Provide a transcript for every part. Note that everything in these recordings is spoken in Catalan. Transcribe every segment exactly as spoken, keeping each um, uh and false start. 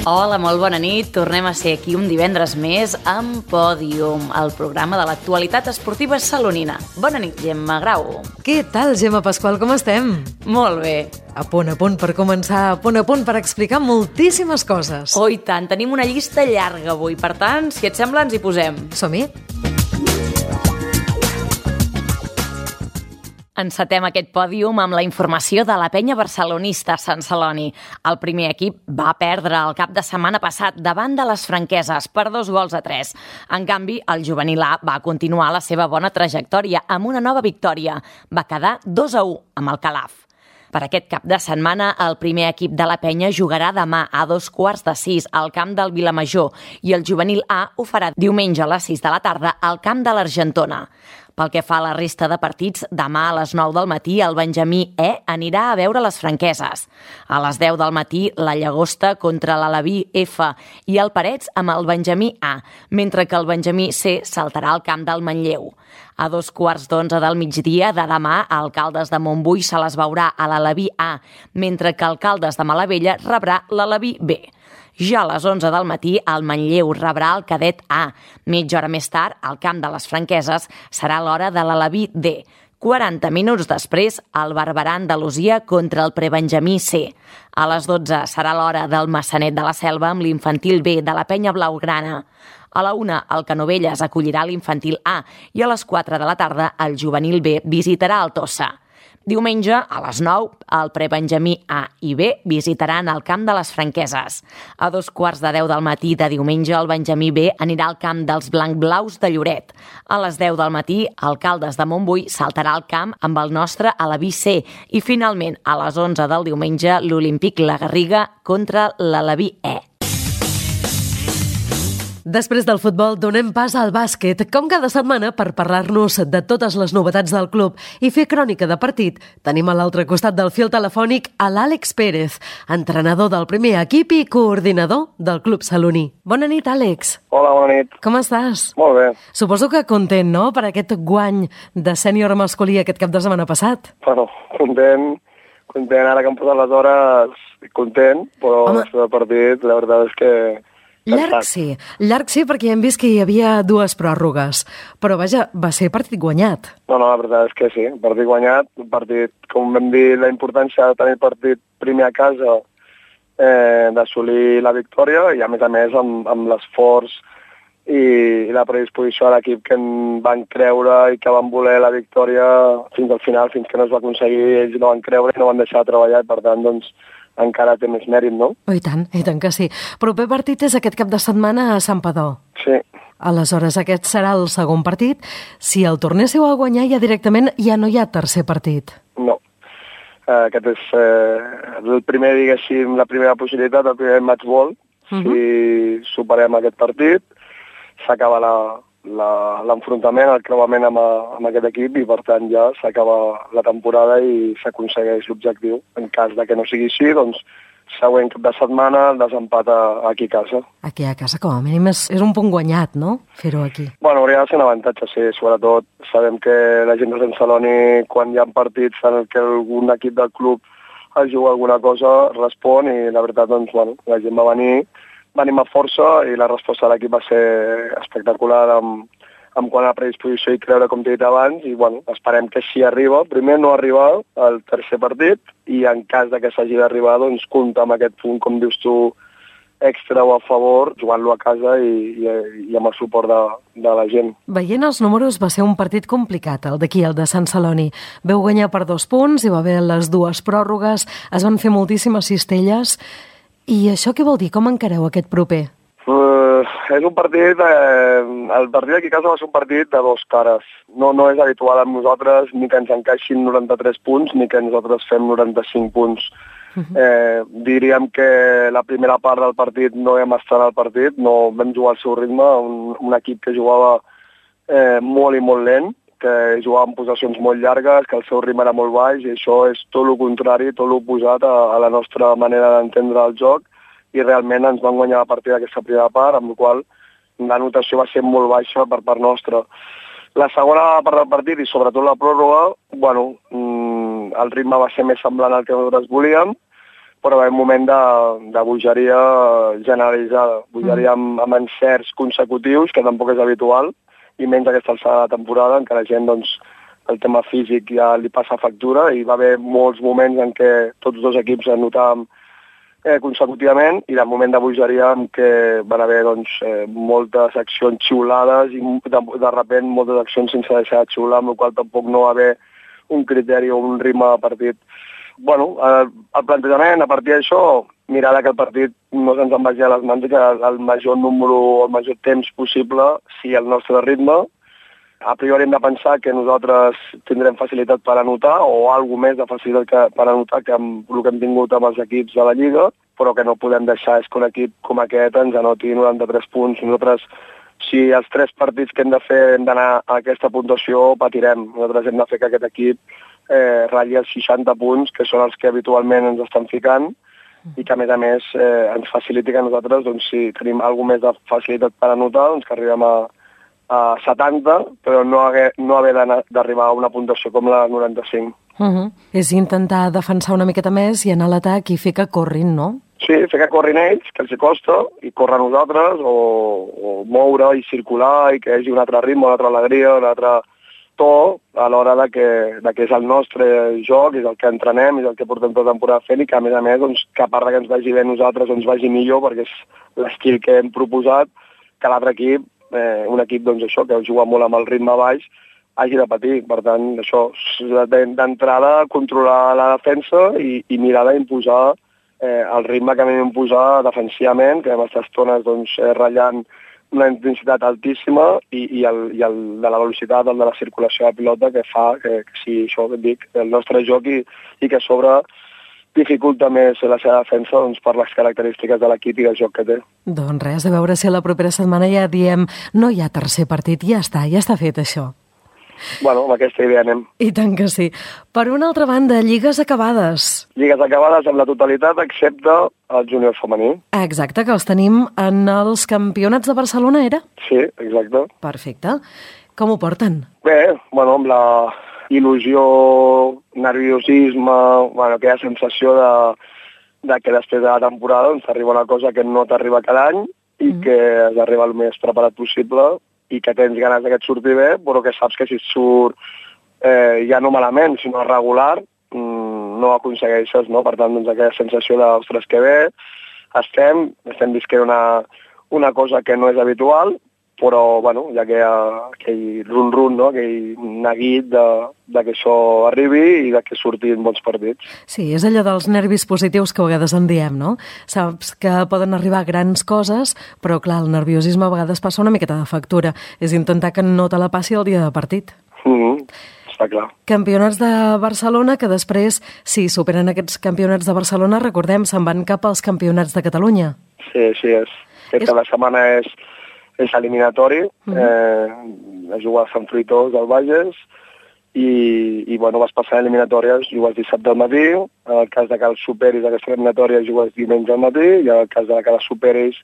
Hola, molt bona nit. Tornem a ser aquí un divendres més amb Pòdium, el programa de l'actualitat esportiva salonina. Bona nit, Gemma Grau. Què tal, Gemma Pasqual, com estem? Molt bé. A punt a punt per començar, a punt a punt per explicar moltíssimes coses. Oh, i tant, tenim una llista llarga avui. Per tant, si et sembla, ens hi posem. Som-hi? Encetem aquest pòdium amb la informació de la penya barcelonista Sant Celoni. El primer equip va perdre el cap de setmana passat davant de les Franqueses per dos gols a tres. En canvi, el juvenil A va continuar la seva bona trajectòria amb una nova victòria. Va quedar dos a u amb el Calaf. Per aquest cap de setmana, el primer equip de la penya jugarà demà a dos quarts de sis al camp del Vilamajor i el juvenil A ho farà diumenge a les sis de la tarda al camp de l'Argentona. Pel que fa a la resta de partits, demà a les nou del matí el Benjamí E anirà a veure les Franqueses. A les deu del matí, la Llagosta contra l'Aleví F i el Parets amb el Benjamí A, mentre que el Benjamí C saltarà al camp del Manlleu. A dos quarts d'onze del migdia de demà, a Alcaldes de Montbui se les veurà a l'Aleví A, mentre que Alcaldes de Malavella rebrà l'Aleví B. Ja a les onze del matí, el Manlleu rebrà el Cadet A. Mitja hora més tard, al camp de les Franqueses, serà l'hora de l'Aleví D. quaranta minuts després, el Barberà Andalusia contra el Prebenjamí C. A les dotze serà l'hora del Massanet de la Selva amb l'infantil B de la penya blaugrana. A la una, el Canovelles acollirà l'infantil A i a les quatre de la tarda, el juvenil B visitarà el Tossa. Diumenge, a les nou, el Prebenjamí A i B visitaran el camp de les Franqueses. A dos quarts de deu del matí de diumenge, el Benjamí B anirà al camp dels Blanc-Blaus de Lloret. A les deu del matí, Alcaldes de Montbui saltarà al camp amb el nostre Aleví C. I finalment, a les onze del diumenge, l'Olímpic La Garriga contra l'Aleví E. Després del futbol, donem pas al bàsquet, com cada setmana, per parlar-nos de totes les novetats del club i fer crònica de partit. Tenim a l'altre costat del fil telefònic a l'Àlex Pérez, entrenador del primer equip i coordinador del club saloní. Bona nit, Àlex. Hola, bona nit. Com estàs? Molt bé. Suposo que content, no?, per aquest guany de sènior masculí aquest cap de setmana passat. Bueno, content, content, ara que hem posat les hores, content, però Home. el partit, la veritat és que... Llarg sí, llarg sí, perquè hem vist que hi havia dues pròrrogues, però vaja, va ser partit guanyat. No, no, la veritat és que sí, partit guanyat, un partit, com vam dir, la importància de tenir partit primer a casa, eh, d'assolir la victòria, i a més a més amb, amb l'esforç i, i la predisposició a l'equip que en van creure i que van voler la victòria fins al final, fins que no es va aconseguir, ells no van creure i no van deixar de treballar, i per tant, doncs, encara té més mèrit, no? Oh, i tant, i tant que sí. Proper partit és aquest cap de setmana a Santpedor. Sí. Aleshores, aquest serà el segon partit. Si el tornéssiu a guanyar, ja directament ja no hi ha tercer partit. No. Uh, aquest és uh, el primer, diguéssim, la primera possibilitat, el primer match ball. Uh-huh. Si superem aquest partit, s'acaba la... l'enfrontament, el creuament amb, a, amb aquest equip, i per tant ja s'acaba la temporada i s'aconsegueix l'objectiu. En cas de que no sigui així, doncs següent cap de setmana el desempat aquí a casa. Aquí a casa, com a mínim, és, és un punt guanyat, no?, fer-ho aquí. Bueno, hauria de ser un avantatge, sí. Sobretot sabem que la gent de Sant Celoni, quan hi ha partits en què algun equip del club es juga alguna cosa, respon, i la veritat, doncs, bueno, la gent va venir venim a força i la resposta de l'equip va ser espectacular amb, amb quant a predisposició i creure, com t'he dit abans, i bueno, esperem que si arriba, primer no arribar al tercer partit, i en cas de que s'hagi d'arribar, doncs compta amb aquest punt, com dius tu, extra o a favor, jugant-lo a casa i, i, i amb el suport de, de la gent. Veient els números, va ser un partit complicat, el d'aquí, el de Sant Celoni. Veu guanyar per dos punts, hi va haver les dues pròrrogues, es van fer moltíssimes cistelles. I això què vol dir? Com encareu aquest proper? Uh, és un partit, eh, el partit d'aquí a casa va ser un partit de dos cares. No, no és habitual amb nosaltres ni que ens encaixin noranta-tres punts ni que nosaltres fem noranta-cinc punts. Uh-huh. Eh, diríem que la primera part del partit no vam estar al partit, no vam jugar al seu ritme, un, un equip que jugava eh, molt i molt lent, que jugava en possessions molt llargues, que el seu ritme era molt baix, i això és tot el contrari, tot l'oposat a, a la nostra manera d'entendre el joc, i realment ens van guanyar a partir d'aquesta primera part, amb la qual la notació va ser molt baixa per part nostra. La segona part del partit, i sobretot la pròrroga, bueno, el ritme va ser més semblant al que nosaltres volíem, però va haver un moment de, de bogeria generalitzada, bogeria amb, amb encerts consecutius, que tampoc és habitual, i menys aquesta alçada de temporada, en què la gent, doncs, el tema físic ja li passa factura, i va haver molts moments en què tots dos equips es notàvem eh, consecutivament, i de moment de bogeria en què van haver, doncs, eh, moltes accions xiulades, i de, de repent moltes accions sense deixar de xiular, amb la qual tampoc no va haver un criteri o un ritme de partit. Bueno, el, el plantejament, a partir d'això, mirar que el partit no se'ns en vagi a les mans i que el major número o el major temps possible sigui el nostre ritme. A priori hem de pensar que nosaltres tindrem facilitat per anotar o alguna més de facilitat que, per anotar que amb el que hem tingut amb els equips de la Lliga, però que no podem deixar és que un equip com aquest ens anoti noranta-tres punts. Nosaltres, si els tres partits que hem de fer hem d'anar a aquesta puntuació, patirem. Nosaltres hem de fer que aquest equip eh, ratlli els seixanta punts, que són els que habitualment ens estan ficant, i que a més a més eh, ens faciliti que nosaltres, doncs, si tenim alguna més de facilitat per anotar, doncs que arribem a, a setanta, però no haver, no haver d'arribar a una puntuació com la noranta-cinc. Uh -huh. És intentar defensar una miqueta més i anar a l'atac i fer que corrin, no? Sí, fer que corrin ells, que els costa, i córrer nosaltres, o, o moure i circular, i que hi hagi un altre ritme, una altra alegria, un altre to, a l'hora de que, de que és el nostre joc, és el que entrenem, és el que portem tota la temporada fent, i que a més a més, doncs, que a part que ens vagi bé nosaltres, ens vagi millor, perquè és l'estil que hem proposat, que l'altre equip, eh, un equip, doncs això, que juga molt amb el ritme baix, hagi de patir. Per tant, això, d'entrada, controlar la defensa i, i mirar d'imposar eh, el ritme que vam imposar defensivament, que vam estar estones, doncs, eh, ratllant una intensitat altíssima, i, i, el, i el de la velocitat, el de la circulació de pilota, que fa que, que sigui això que et dic, el nostre joc, i, i que a sobre dificulta més la seva defensa, doncs, per les característiques de l'equip i del joc que té. Doncs res, a veure si la propera setmana ja diem no hi ha tercer partit, ja està, ja està fet això. Bueno, amb aquesta idea anem. I tant que sí. Per una altra banda, lligues acabades. Lligues acabades amb la totalitat, excepte el júnior femení. Exacte, que els tenim en els campionats de Barcelona, era? Sí, exacte. Perfecte. Com ho porten? Bé, bueno, amb la il·lusió, nerviosisme, bueno, aquella sensació de, de que després de la temporada doncs, arriba una cosa que no t'arriba cada any i mm. que has d'arribar el més preparat possible, i que tens ganes que et surti bé, però que saps que si et surt eh, ja no malament, sinó regular, mmm, no aconsegueixes, no? Per tant, doncs, aquella sensació de, ostres, que bé, estem, estem visquent una, una cosa que no és habitual, però, bueno, hi ha aquell, aquell run-run, no? Aquell neguit de, de que això arribi i de que surtin bons partits. Sí, és allò dels nervis positius que a vegades en diem, no? Saps que poden arribar grans coses, però, clar, el nerviosisme a vegades passa una miqueta de factura. És intentar que no te la passi el dia de partit. Mm-hmm. Està clar. Campionats de Barcelona, que després, si superen aquests campionats de Barcelona, recordem, se'n van cap als campionats de Catalunya. Sí, així és. Aquesta és... la setmana és... és eliminatori, uh-huh. eh, es juga a Sant Fruitós del Bages, i, i bueno, vas passar eliminatòries, jugues dissabte al matí, en el cas de que els superis d'aquesta eliminatòria jugues diumenge al matí, i en el cas de que els superis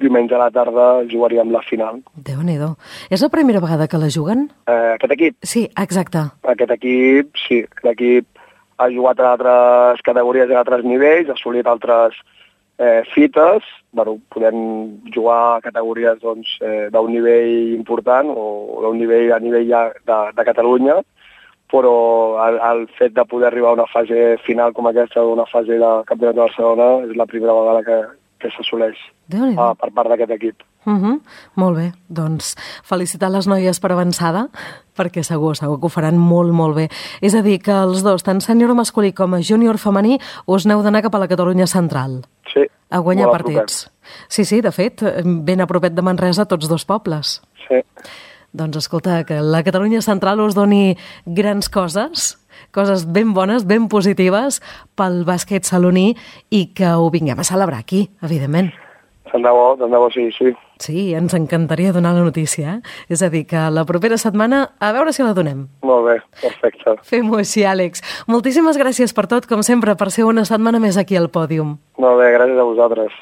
diumenge a la tarda jugaríem la final. Déu-n'hi-do. És la primera vegada que la juguen? Eh, aquest equip? Sí, exacte. Aquest equip, sí. L'equip ha jugat a altres categories i a altres nivells, ha assolit altres eh, fites. Bueno, podem jugar a categories doncs, eh, d'un nivell important o d'un nivell a nivell ja de, de Catalunya, però el, el fet de poder arribar a una fase final com aquesta, una fase de Campionat de Barcelona, és la primera vegada que, que s'assoleix uh, per part d'aquest equip. Uh-huh. Molt bé, doncs felicitar les noies per avançada, perquè segur, segur que ho faran molt, molt bé. És a dir, que els dos, tant sènior masculí com a júnior femení, us n'heu d'anar cap a la Catalunya central. Sí. A guanyar partits. Sí, sí, de fet, ben a propet de Manresa, tots dos pobles. Sí. Doncs escolta, que la Catalunya central us doni grans coses, coses ben bones, ben positives pel bàsquet saloní, i que ho vinguem a celebrar aquí, evidentment. Tant de bo, tant de bo, sí, sí. Sí, ens encantaria donar la notícia, eh? És a dir, que la propera setmana, a veure si la donem. Molt bé, perfecte. Fem-ho així, Àlex. Moltíssimes gràcies per tot, com sempre, per ser una setmana més aquí al pòdium. Molt bé, gràcies a vosaltres.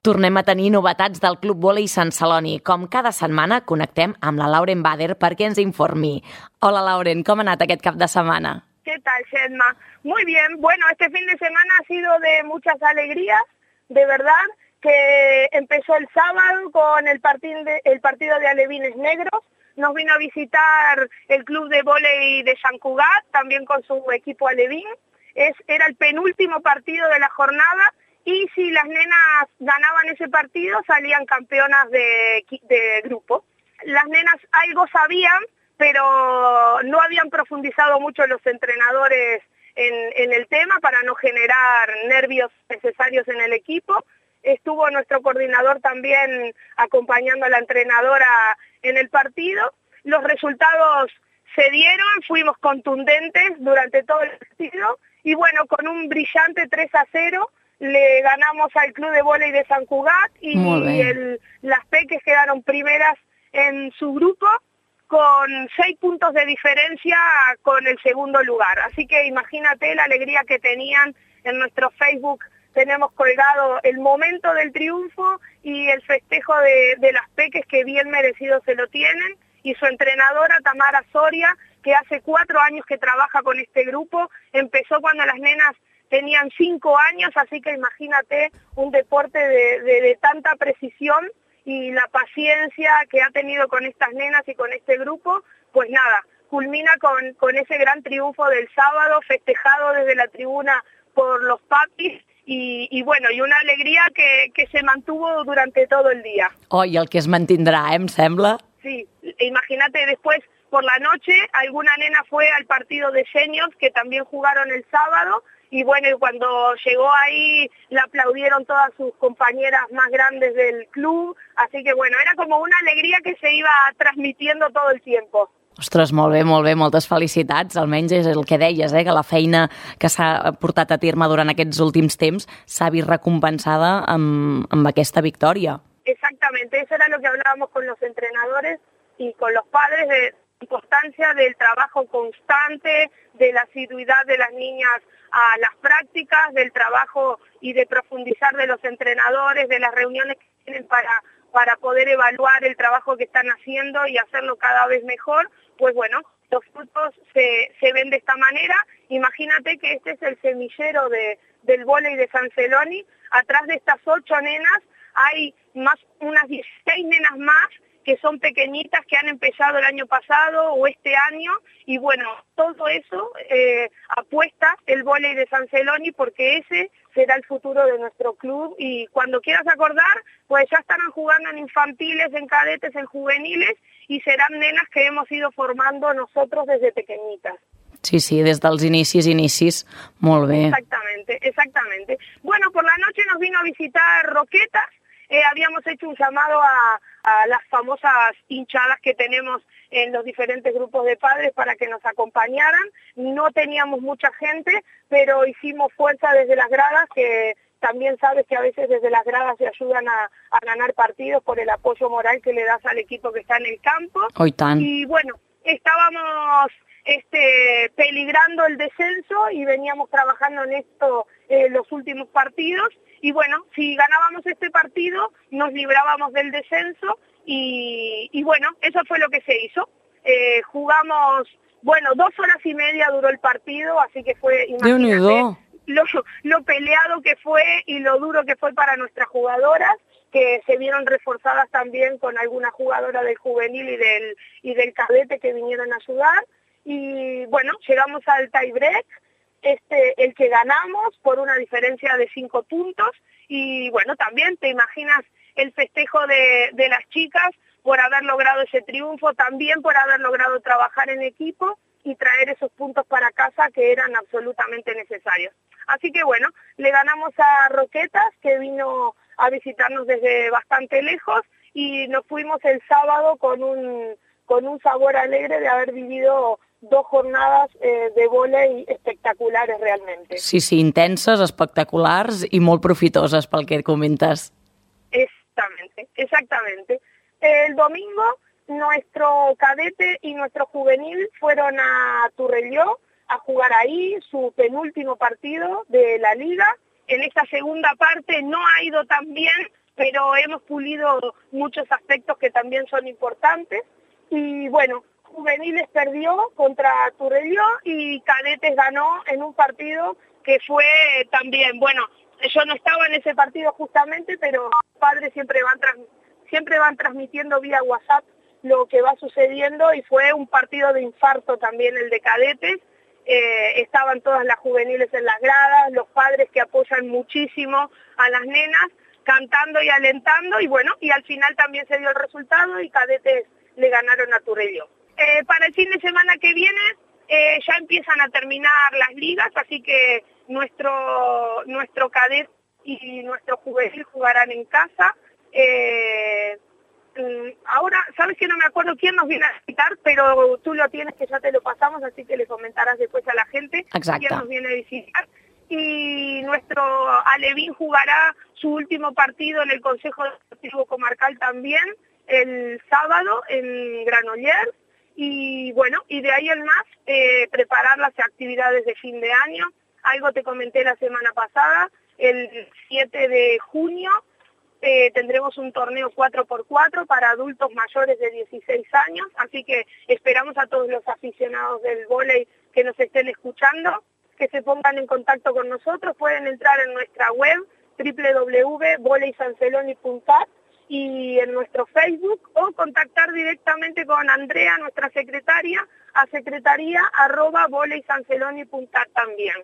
Tornem a tenir novetats del Club Vòlei Sant Celoni. Com cada setmana, connectem amb la Lauren Bader perquè ens informi. Hola, Lauren, com ha anat aquest cap de setmana? Què tal, Shedma? Muy bien, bueno, este fin de semana ha sido de muchas alegrías, de verdad, que empezó el sábado con el partido de, el partido de Alevines Negros, nos vino a visitar el club de vóley de Sant Cugat, también con su equipo alevín, es, era el penúltimo partido de la jornada, y si las nenas ganaban ese partido salían campeonas de, de grupo. Las nenas algo sabían, pero no habían profundizado mucho los entrenadores en, en el tema para no generar nervios necesarios en el equipo. Estuvo nuestro coordinador también acompañando a la entrenadora en el partido. Los resultados se dieron, fuimos contundentes durante todo el partido y bueno, con un brillante tres a cero le ganamos al club de vóley de Sant Cugat y el, las Peques quedaron primeras en su grupo con seis puntos de diferencia con el segundo lugar. Así que imagínate la alegría que tenían. En nuestro Facebook tenemos colgado el momento del triunfo y el festejo de, de las Peques, que bien merecido se lo tienen, y su entrenadora Tamara Soria, que hace cuatro años que trabaja con este grupo, empezó cuando las nenas tenían cinco años, así que imagínate un deporte de, de, de tanta precisión y la paciencia que ha tenido con estas nenas y con este grupo, pues nada, culmina con, con ese gran triunfo del sábado, festejado desde la tribuna por los papis, y, y bueno, y una alegría que, que se mantuvo durante todo el día. Oh, i el que es mantindrà, eh, em sembla. Sí, imagínate después, por la noche, alguna nena fue al partido de seniors, que también jugaron el sábado, y bueno, y cuando llegó ahí la aplaudieron todas sus compañeras más grandes del club, así que bueno, era como una alegría que se iba transmitiendo todo el tiempo. Ostres, molt bé, molt bé, moltes felicitats, almenys és el que deies, eh, que la feina que s'ha portat a terme durant aquests últims temps s'ha vist recompensada amb, amb aquesta victòria. Exactamente, eso era lo que hablábamos con los entrenadores y con los padres, de la importancia del trabajo constante, de la asiduidad de las niñas a las prácticas, del trabajo y de profundizar de los entrenadores, de las reuniones que tienen para, para poder evaluar el trabajo que están haciendo y hacerlo cada vez mejor. Pues bueno, los frutos se, se ven de esta manera. Imagínate que este es el semillero de, del vóley de San Celoni. Atrás de estas ocho nenas hay más unas dieciséis nenas más que son pequeñitas, que han empezado el año pasado o este año, y bueno, todo eso eh, apuesta el vóley de San Celoni, porque ese será el futuro de nuestro club, y cuando quieras acordar, pues ya estarán jugando en infantiles, en cadetes, en juveniles, y serán nenas que hemos ido formando nosotros desde pequeñitas. Sí, sí, des dels inicis, inicis, molt bé. Exactamente, exactamente. Bueno, por la noche nos vino a visitar Roquetas. Eh, habíamos hecho un llamado a, a las famosas hinchadas que tenemos en los diferentes grupos de padres para que nos acompañaran. No teníamos mucha gente, pero hicimos fuerza desde las gradas, que también sabes que a veces desde las gradas se ayudan a, a ganar partidos por el apoyo moral que le das al equipo que está en el campo. Oh, y tan. Y bueno, estábamos este, peligrando el descenso y veníamos trabajando en esto eh, los últimos partidos. Y bueno, si ganábamos este partido, nos librábamos del descenso y, y bueno, eso fue lo que se hizo. Eh, jugamos, bueno, dos horas y media duró el partido, así que fue, imagínate, lo, lo peleado que fue y lo duro que fue para nuestras jugadoras, que se vieron reforzadas también con alguna jugadora del juvenil y del, y del cadete que vinieron a ayudar. Y bueno, llegamos al tie-break. Este, el que ganamos por una diferencia de cinco puntos, y bueno, también te imaginas el festejo de, de las chicas por haber logrado ese triunfo, también por haber logrado trabajar en equipo y traer esos puntos para casa que eran absolutamente necesarios. Así que bueno, le ganamos a Roquetas, que vino a visitarnos desde bastante lejos, y nos fuimos el sábado con un, con un sabor alegre de haber vivido dos jornadas eh, de vóley espectaculares realmente. Sí, sí, intenses, espectaculars i molt profitoses pel que comentes. Exactamente, exactamente. El domingo nuestro cadete y nuestro juvenil fueron a Turrelló a jugar ahí su penúltimo partido de la liga. En esta segunda parte no ha ido tan bien, pero hemos pulido muchos aspectos que también son importantes. Y bueno, Juveniles perdió contra Torelló y Cadetes ganó en un partido que fue también, bueno, yo no estaba en ese partido justamente, pero los padres siempre van, trans, siempre van transmitiendo vía WhatsApp lo que va sucediendo y fue un partido de infarto también el de Cadetes. Eh, estaban todas las juveniles en las gradas, los padres que apoyan muchísimo a las nenas, cantando y alentando, y bueno, y al final también se dio el resultado y Cadetes le ganaron a Torelló. Eh, para el fin de semana que viene eh, ya empiezan a terminar las ligas, así que nuestro nuestro cadete y nuestro juvenil jugarán en casa. Eh, ahora, sabes que no me acuerdo quién nos viene a visitar, pero tú lo tienes, que ya te lo pasamos, así que le comentarás después a la gente. Exacte. Quién nos viene a visitar. Y nuestro Alevín jugará su último partido en el Consejo Deportivo Comarcal también el sábado en Granollers. Y bueno, y de ahí en más, eh, preparar las actividades de fin de año. Algo te comenté la semana pasada, el siete de junio eh, tendremos un torneo cuatro por cuatro para adultos mayores de dieciséis años, así que esperamos a todos los aficionados del vóley que nos estén escuchando, que se pongan en contacto con nosotros. Pueden entrar en nuestra web doble u doble u doble u punto voley san celoni punto cat y en nuestro Facebook, o contactar directamente con Andrea, nuestra secretaria, a secretaría arroba voley san celoni punto cat también.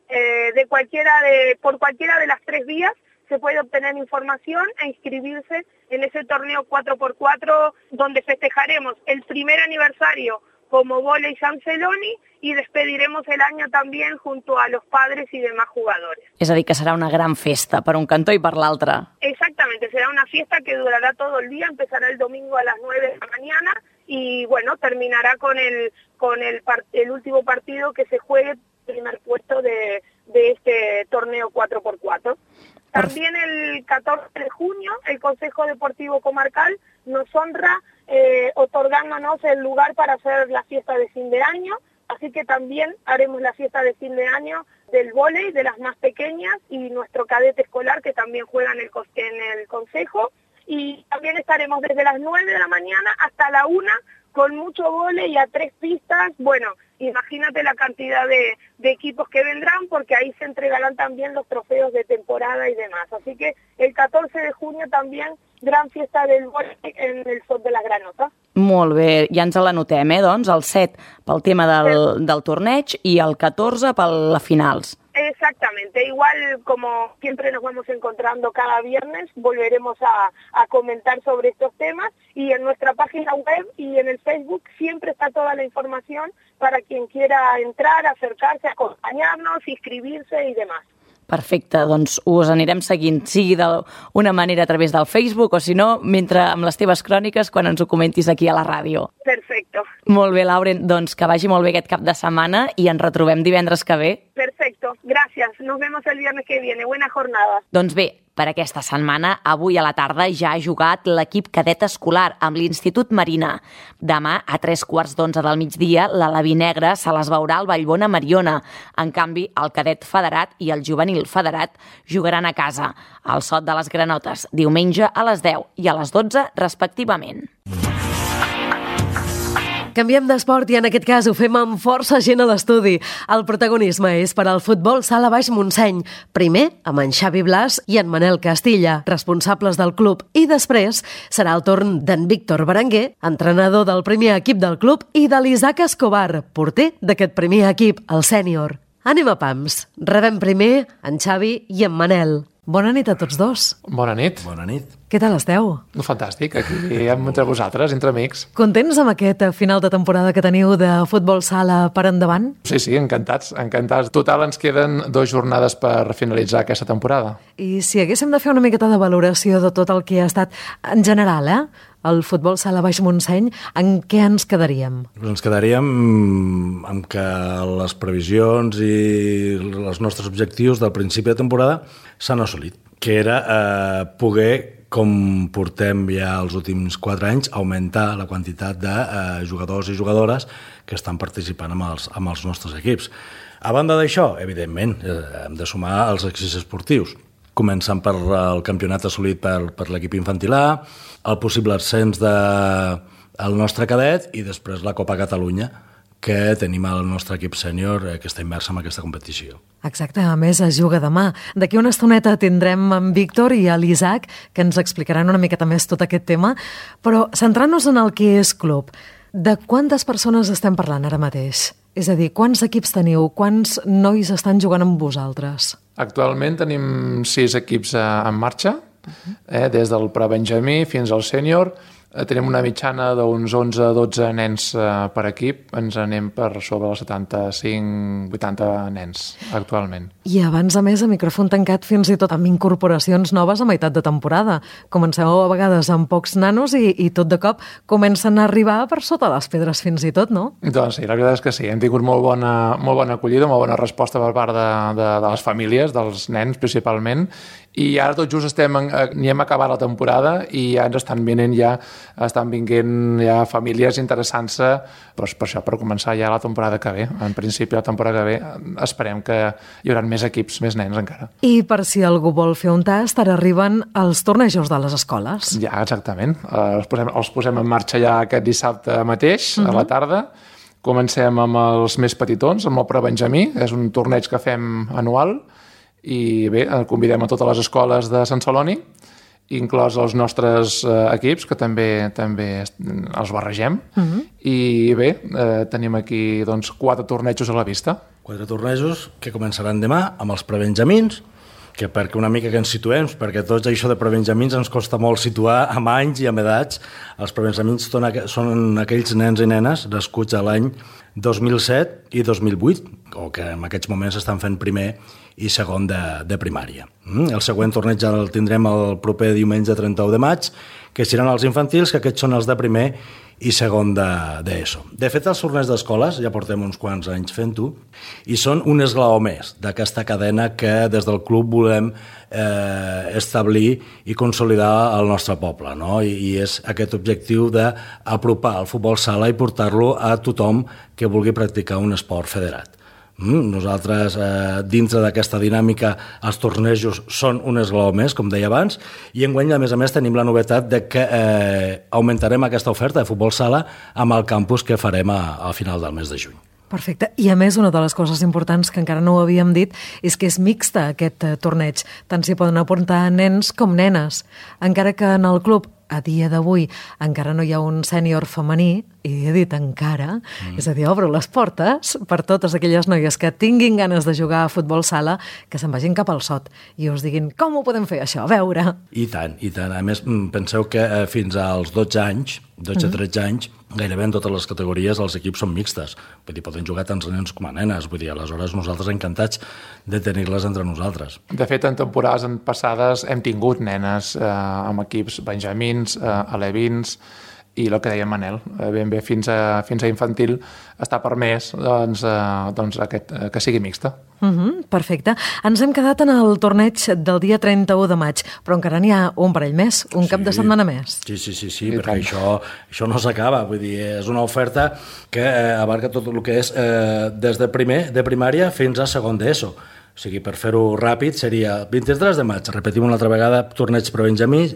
Eh, de cualquiera de, por cualquiera de las tres vías se puede obtener información e inscribirse en ese torneo cuatro por cuatro donde festejaremos el primer aniversario como Voley San Celoni y despediremos el año también junto a los padres y demás jugadores. És a dir, que serà una gran festa per un cantó i per l'altre. Exactamente, será una fiesta que durará todo el día, empezará el domingo a las nueve de la mañana y bueno, terminará con el con el, el último partido que se juegue el primer puesto de, de este torneo cuatro por cuatro. También el catorce de junio el Consejo Deportivo Comarcal nos honra eh, otorgándonos el lugar para hacer la fiesta de fin de año, así que también haremos la fiesta de fin de año del vóley, de las más pequeñas, y nuestro cadete escolar que también juega en el, en el Consejo, y también estaremos desde las nueve de la mañana hasta la una con mucho vóley y a tres pistas. Bueno, imagínate la cantidad de, de equipos que vendrán, porque ahí se entregarán también los trofeos de temporada y demás. Así que el catorce de junio también, gran fiesta del vóley en el Sot de la Granota. Molt bé, ja ens l'anotem, eh, doncs, el set pel tema del, del torneig i el catorze per la finals. Exactamente, igual como siempre nos vamos encontrando cada viernes, volveremos a, a comentar sobre estos temas, y en nuestra página web y en el Facebook siempre está toda la información para quien quiera entrar, acercarse, acompañarnos, inscribirse y demás. Perfecte, doncs us anirem seguint, sigui d'una manera a través del Facebook o si no, mentre amb les teves cròniques quan ens ho comentis aquí a la ràdio. Perfecto. Molt bé, Lauren, doncs que vagi molt bé aquest cap de setmana i ens retrobem divendres que ve. Perfecto, gracias. Nos vemos el viernes que viene. Buena jornada. Doncs bé, per aquesta setmana, avui a la tarda ja ha jugat l'equip cadet escolar amb l'Institut Marina. Demà, a tres quarts d'onze del migdia, l'Aleví Negre se les veurà al Vallbona Mariona. En canvi, el cadet federat i el juvenil federat jugaran a casa, al Sot de les Granotes, diumenge a les deu i a les dotze, respectivament. Canviem d'esport i en aquest cas ho fem amb força gent a l'estudi. El protagonisme és per al futbol sala Baix Montseny. Primer amb en Xavi Blas i en Manel Castilla, responsables del club, i després serà el torn d'en Víctor Berenguer, entrenador del primer equip del club, i de l'Isaac Escobar, porter d'aquest primer equip, el sènior. Anem a pams. Rebem primer en Xavi i en Manel. Bona nit a tots dos. Bona nit. Bona nit. Què tal esteu? Fantàstic, aquí entre vosaltres, entre amics. Contents amb aquest final de temporada que teniu de futbol sala per endavant? Sí, sí, encantats, encantats. Total, ens queden dues jornades per finalitzar aquesta temporada. I si haguéssim de fer una miqueta de valoració de tot el que ha estat en general, eh? el futbol sala Baix Montseny, en què ens quedaríem? Ens quedaríem amb que les previsions i els nostres objectius del principi de temporada s'han assolit, que era eh, poder, com portem ja els últims quatre anys, augmentar la quantitat de eh, jugadors i jugadores que estan participant amb els, amb els nostres equips. A banda d'això, evidentment, eh, hem de sumar els èxits esportius, començant per el campionat assolit per, per l'equip infantil A, el possible ascens de, el nostre cadet i després la Copa Catalunya, que tenim el nostre equip sènior eh, que està immers en aquesta competició. Exacte, a més es juga demà. D'aquí una estoneta tindrem en Víctor i l'Isaac, que ens explicaran una miqueta més tot aquest tema, però centrant-nos en el que és club, de quantes persones estem parlant ara mateix? És a dir, quants equips teniu? Quants nois estan jugant amb vosaltres? Actualment tenim sis equips en marxa, eh, des del prebenjamí fins al sènior. Tenim una mitjana d'uns onze a dotze nens per equip, ens anem per sobre els setanta-cinc vuitanta nens actualment. I abans, a més, a micròfon tancat fins i tot amb incorporacions noves a meitat de temporada. Comenceu a vegades amb pocs nanos i, i tot de cop comencen a arribar per sota les pedres fins i tot, no? Doncs sí, la veritat és que sí, hem tingut molt bona, molt bona acollida, molt bona resposta per part de, de, de les famílies, dels nens principalment, i ara tot just estem, ni hem acabat la temporada i ja ens estan venint ja, estan vinguent ja famílies interessant-se doncs per això, per començar ja la temporada que ve. En principi la temporada que ve esperem que hi haurà més equips, més nens encara. I per si algú vol fer un tast, ara arriben els tornejos de les escoles. Ja, exactament. Els posem, els posem en marxa ja aquest dissabte mateix, uh-huh. a la tarda. Comencem amb els més petitons, amb el prebenjamí, és un torneig que fem anual, i bé, convidem a totes les escoles de Sant Celoni, inclòs els nostres eh, equips, que també també els barregem, uh-huh. i bé, eh, tenim aquí doncs, quatre tornejos a la vista. Quatre tornejos que començaran demà amb els prebenjamins, que perquè una mica que ens situem, perquè tots això de prebenjamins ens costa molt situar amb anys i amb edats. Els prebenjamins són, aqu són aquells nens i nenes nascuts a l'any dos mil set i dos mil vuit, o que en aquests moments estan fent primer i segon de, de primària. El següent torneig el tindrem el proper diumenge trenta-u de maig, que seran els infantils, que aquests són els de primer i segon d'ESO. De, de fet, els torneigs d'escoles, ja portem uns quants anys fent-ho, i són un esglaó més d'aquesta cadena que des del club volem eh, establir i consolidar al nostre poble, no? I, i és aquest objectiu d'apropar el futbol sala i portar-lo a tothom que vulgui practicar un esport federat. Nosaltres, eh, dintre d'aquesta dinàmica, els tornejos són un esglaó més, com deia abans, i enguany, a més a més, tenim la novetat de que eh, augmentarem aquesta oferta de futbol sala amb el campus que farem a, a final del mes de juny. Perfecte. I a més, una de les coses importants que encara no ho havíem dit és que és mixta aquest eh, torneig. Tant s'hi poden apuntar nens com nenes. Encara que en el club, a dia d'avui, encara no hi ha un sènior femení, i he dit encara, mm. és a dir, obro les portes per totes aquelles noies que tinguin ganes de jugar a futbol sala, que se'n vagin cap al sot i us diguin com ho podem fer això, a veure. I tant, i tant. A més, penseu que eh, fins als dotze anys, dotze a tretze anys, gairebé en totes les categories els equips són mixtes. Vull dir, poden jugar tant nens com a nenes. Vull dir, aleshores nosaltres encantats de tenir-les entre nosaltres. De fet, en temporades passades hem tingut nenes eh, amb equips benjamins, eh, alevins, i el que deia Manel, ben bé fins a, fins a infantil està permès doncs, eh, doncs aquest, eh, que sigui mixta. Uh-huh, perfecte. Ens hem quedat en el torneig del dia trenta-u de maig, però encara n'hi ha un parell més, un sí, cap de setmana més. Sí, sí, sí, sí perquè això, això no s'acaba. Vull dir, és una oferta que eh, abarca tot el que és eh, des de primer, de primària fins a segon d'ESO. O sigui, per fer-ho ràpid, seria vint-i-tres de maig, repetim una altra vegada, torneig prebenjamí,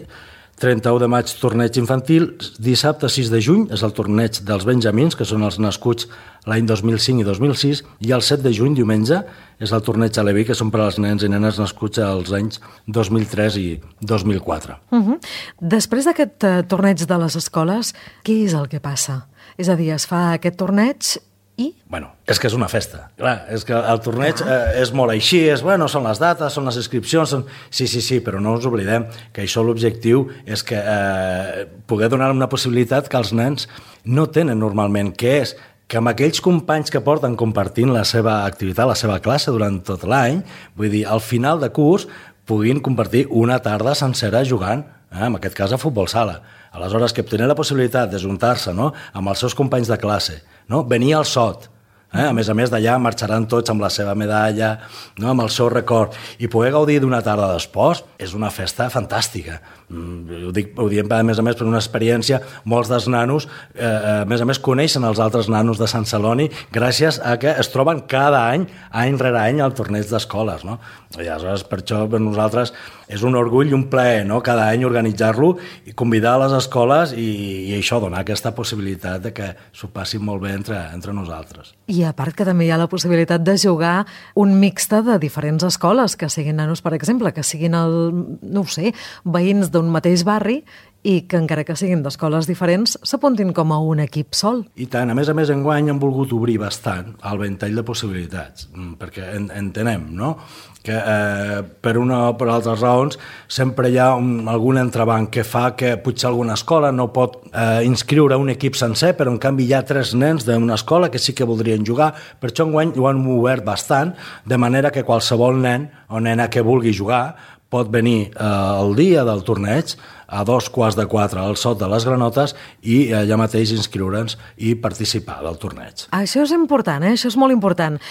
trenta-u de maig, torneig infantil, dissabte sis de juny és el torneig dels benjamins, que són els nascuts l'any dos mil cinc i dos mil sis, i el set de juny, diumenge, és el torneig aleví, que són per als nens i nenes nascuts als anys dos mil tres i dos mil quatre. Uh-huh. Després d'aquest uh, torneig de les escoles, què és el que passa? És a dir, es fa aquest torneig i... Bueno, és que és una festa. Clar, és que el torneig eh, és molt així, és, bueno, són les dates, són les inscripcions, són... sí, sí, sí, però no ens oblidem que això l'objectiu és que eh, poder donar una possibilitat que els nens no tenen normalment, que és que amb aquells companys que porten compartint la seva activitat, la seva classe durant tot l'any, vull dir, al final de curs puguin compartir una tarda sencera jugant, eh, en aquest cas a futbol sala. Aleshores, que tenen la possibilitat d'ajuntar-se, no?, amb els seus companys de classe, no?, venir al sot, eh? A més a més d'allà marxaran tots amb la seva medalla, no?, amb el seu record, i poder gaudir d'una tarda d'esports és una festa fantàstica. Ho, dic, ho diem, a més a més, per una experiència, molts dels nanos, eh, a més a més, coneixen els altres nanos de Sant Celoni gràcies a que es troben cada any, any rere any, al torneig d'escoles, no? I aleshores, per això, per nosaltres, és un orgull i un plaer, no?, cada any organitzar-lo i convidar a les escoles i, i això, donar aquesta possibilitat de que s'ho passin molt bé entre, entre nosaltres. I a part que també hi ha la possibilitat de jugar un mixte de diferents escoles, que siguin nanos, per exemple, que siguin, el, no ho sé, veïns d'un mateix barri i que encara que siguin d'escoles diferents s'apuntin com a un equip sol. I tant, a més a més enguany han volgut obrir bastant el ventall de possibilitats, perquè en, entenem, no?, que eh, per una o per altres raons sempre hi ha un, algun entrebanc que fa que potser alguna escola no pot eh, inscriure un equip sencer, però en canvi hi ha tres nens d'una escola que sí que voldrien jugar. Per això enguany ho han obert bastant, de manera que qualsevol nen o nena que vulgui jugar pot venir eh, el dia del torneig a dos quarts de quatre al Sot de les Granotes i allà mateix inscriure'ns i participar del torneig. Això és important, eh? Això és molt important.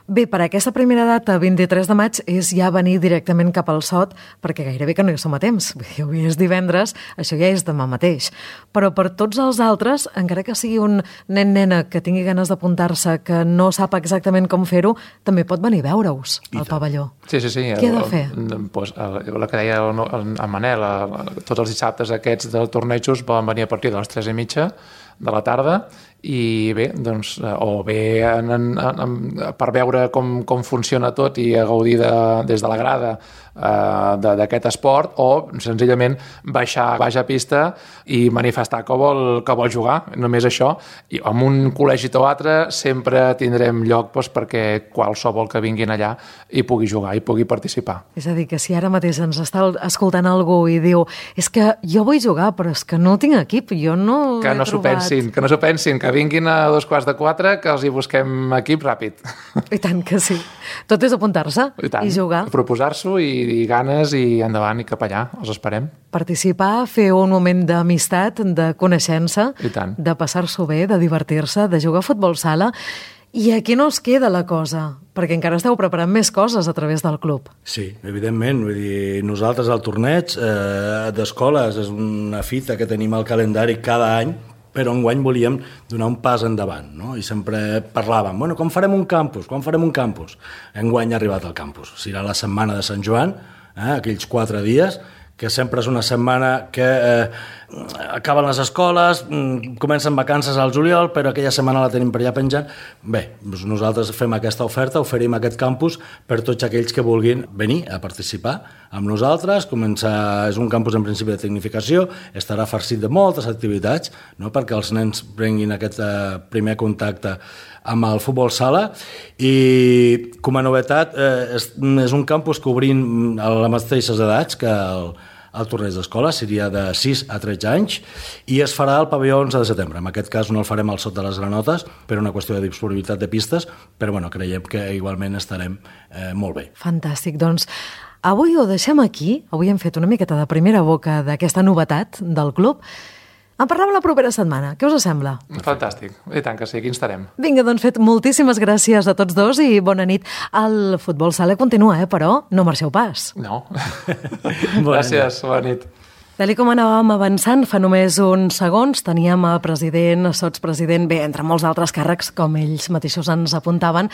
Bé, per aquesta primera data, vint-i-tres de maig, és ja venir directament cap al Sot, perquè gairebé que no hi som a temps. Avui és divendres, això ja és demà mateix. Però per tots els altres, encara que sigui un nen-nena que tingui ganes d'apuntar-se, que no sap exactament com fer-ho, també pot venir a veure-us al pavelló. Sí, sí, sí. Què ha de fer? El, pues, el, el que deia el, el, el Manel, el, tots els dissabtes aquests del tornejos poden venir a partir de les tres i mitja de la tarda i bé, doncs, o bé en, en, en, per veure com, com funciona tot i a gaudir de, des de la grada eh, d'aquest esport, o senzillament baixar, baixar a pista i manifestar que vol, que vol jugar, només això. I en un col·legi o altre sempre tindrem lloc doncs, perquè qualsevol que vinguin allà hi pugui jugar, hi pugui participar. És a dir, que si ara mateix ens està escoltant algú i diu és que jo vull jugar, però és que no tinc equip, jo no que no s'ho pensin, que no s'ho pensin, que vinguin a dos quarts de quatre, que els hi busquem equip ràpid. I tant que sí. Tot és apuntar-se i, i jugar. Proposar-s'ho i, i ganes i endavant i cap allà, els esperem. Participar, fer un moment d'amistat, de coneixença, de passar-s'ho bé, de divertir-se, de jugar a futbol sala. I aquí no es queda la cosa, perquè encara esteu preparant més coses a través del club. Sí, evidentment. Vull dir, nosaltres al torneig eh, d'escoles és una fita que tenim al calendari cada any, però enguany volíem donar un pas endavant, no? I sempre parlàvem, bueno, com farem un campus? Quan farem un campus? Enguany ha arribat el campus. Serà la setmana de Sant Joan, eh, aquells quatre dies, que sempre és una setmana que eh, acaben les escoles, comencen vacances al juliol, però aquella setmana la tenim per allà penjant. Bé, doncs nosaltres fem aquesta oferta, oferim aquest campus per tots aquells que vulguin venir a participar amb nosaltres. Comença, és un campus en principi de tecnificació, estarà farcit de moltes activitats, no?, perquè els nens prenguin aquest eh, primer contacte amb el futbol sala, i com a novetat eh, és, és un campus que obrim a les mateixes edats que el, el torneig d'escola, seria de sis a tretze anys, i es farà el pavelló onze de setembre. En aquest cas no el farem al Sot de les Granotes per una qüestió de disponibilitat de pistes, però bueno, creiem que igualment estarem eh, molt bé. Fantàstic, doncs avui ho deixem aquí. Avui hem fet una miqueta de primera boca d'aquesta novetat del club. En parlem la propera setmana. Què us sembla? Fantàstic. I tant que sí, aquí estarem. Vinga, doncs fet, moltíssimes gràcies a tots dos i bona nit. El futbol sala continua, eh? Però no marxeu pas. No. Gràcies, bona nit. Tal com anàvem avançant, fa només uns segons teníem a president, sotspresident, bé, entre molts altres càrrecs, com ells mateixos ens apuntaven,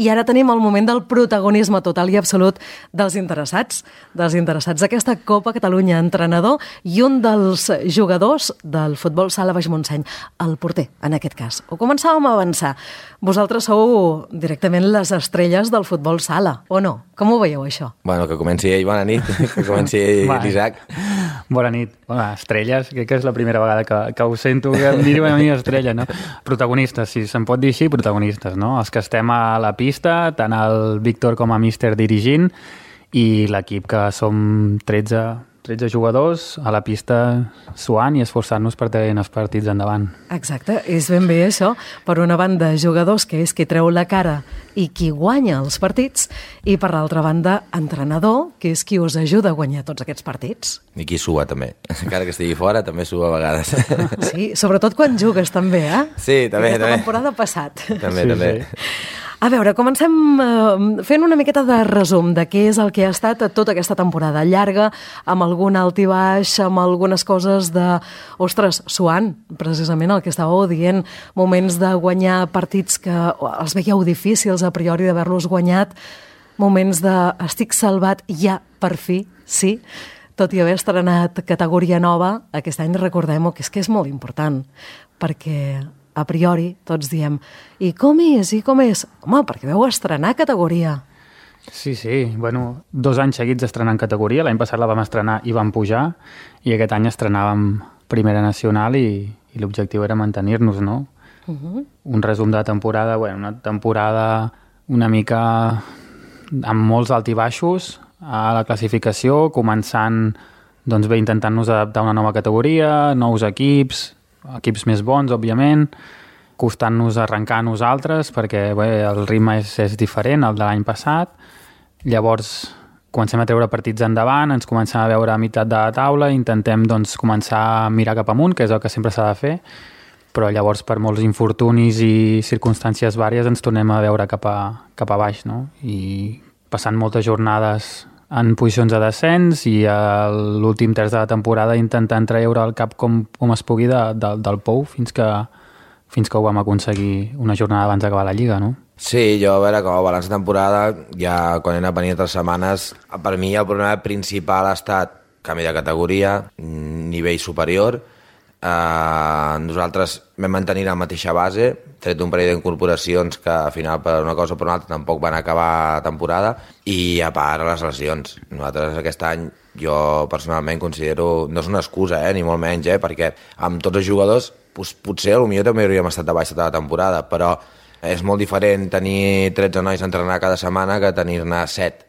i ara tenim el moment del protagonisme total i absolut dels interessats, dels interessats d'aquesta Copa Catalunya, entrenador i un dels jugadors del futbol sala Baix Montseny, el porter, en aquest cas. Ho començàvem a avançar. Vosaltres sou directament les estrelles del futbol sala, o no? Com ho veieu, això? Bueno, que comenci ell, bona nit, que comenci l'Isaac. Bona nit. Bueno, estrelles, crec que és la primera vegada que, que ho sento, que em diuen a mi estrella, no? Protagonistes, si se'n pot dir així, protagonistes, no? Els que estem a la pista, tant el Víctor com a míster dirigint, i l'equip que som tretze, tretze jugadors a la pista suant i esforçant-nos per tenir els partits endavant. Exacte, és ben bé això. Per una banda, jugadors, que és qui treu la cara i qui guanya els partits, i per l'altra banda, entrenador, que és qui us ajuda a guanyar tots aquests partits. I qui sua també. Encara que estigui fora, també sua a vegades. Sí, sobretot quan jugues també, eh? Sí, també. Aquesta també. temporada passat. També, sí, també. Sí. A veure, comencem eh, fent una miqueta de resum de què és el que ha estat tota aquesta temporada llarga, amb algun alt i baix, amb algunes coses de, ostres, suant, precisament el que estàveu dient, moments de guanyar partits que els veieu difícils a priori d'haver-los guanyat, moments de estic salvat ja per fi, sí, tot i haver estrenat categoria nova, aquest any recordem-ho, que és que és molt important, perquè a priori tots diem, i com és, i com és? Home, perquè vau estrenar categoria. Sí, sí, bueno, dos anys seguits estrenant categoria, l'any passat la vam estrenar i vam pujar, i aquest any estrenàvem Primera Nacional i, i l'objectiu era mantenir-nos, no? Uh-huh. Un resum de temporada, bueno, una temporada una mica amb molts alt i baixos a la classificació, començant doncs bé, intentant-nos adaptar a una nova categoria, nous equips, equips més bons, òbviament, costant-nos arrencar a nosaltres, perquè bé, el ritme és, és diferent al de l'any passat. Llavors, comencem a treure partits endavant, ens comencem a veure a meitat de la taula, intentem doncs, començar a mirar cap amunt, que és el que sempre s'ha de fer, però llavors per molts infortunis i circumstàncies vàries ens tornem a veure cap a, cap a baix, no? I passant moltes jornades en posicions de descens i a l'últim terç de la temporada intentant treure el cap com, com es pugui de, de, del pou fins que, fins que ho vam aconseguir una jornada abans d'acabar la Lliga, no? Sí, jo a veure, com a balanç de temporada, ja quan he anat venint tres setmanes, per mi el problema principal ha estat canvi de categoria, nivell superior. Uh, nosaltres vam mantenir la mateixa base, tret un parell d'incorporacions que al final per una cosa o per una altra tampoc van acabar temporada, i a part les lesions. Nosaltres aquest any jo personalment considero, no és una excusa eh, ni molt menys, eh, perquè amb tots els jugadors pues, potser potser també hauríem estat a baix tota la temporada, però és molt diferent tenir tretze nois a entrenar cada setmana que tenir-ne set,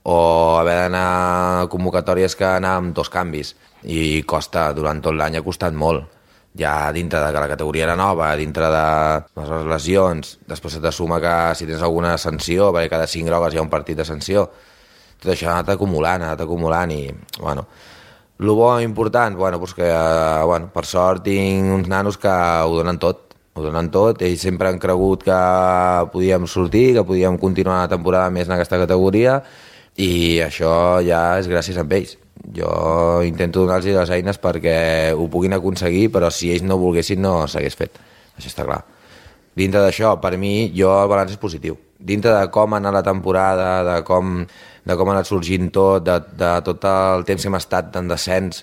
o haver d'anar a convocatòries que anar amb dos canvis, i costa, durant tot l'any ha costat molt, ja dintre de que la categoria era nova, dintre de les lesions, després se te suma que si tens alguna sanció, perquè cada cinc grogues hi ha un partit de sanció, tot això ha anat acumulant, ha anat acumulant, i bueno, el bo important, bueno, doncs que, bueno, per sort tinc uns nanos que ho donen tot, ho donen tot, ells sempre han cregut que podíem sortir, que podíem continuar la temporada més en aquesta categoria, i això ja és gràcies a ells. Jo intento donar-los les eines perquè ho puguin aconseguir, però si ells no volguessin no s'hagués fet, això està clar. Dintre d'això, per mi, jo el balanç és positiu. Dintre de com ha anat la temporada, de com, de com ha anat sorgint tot, de, de tot el temps que hem estat en descens,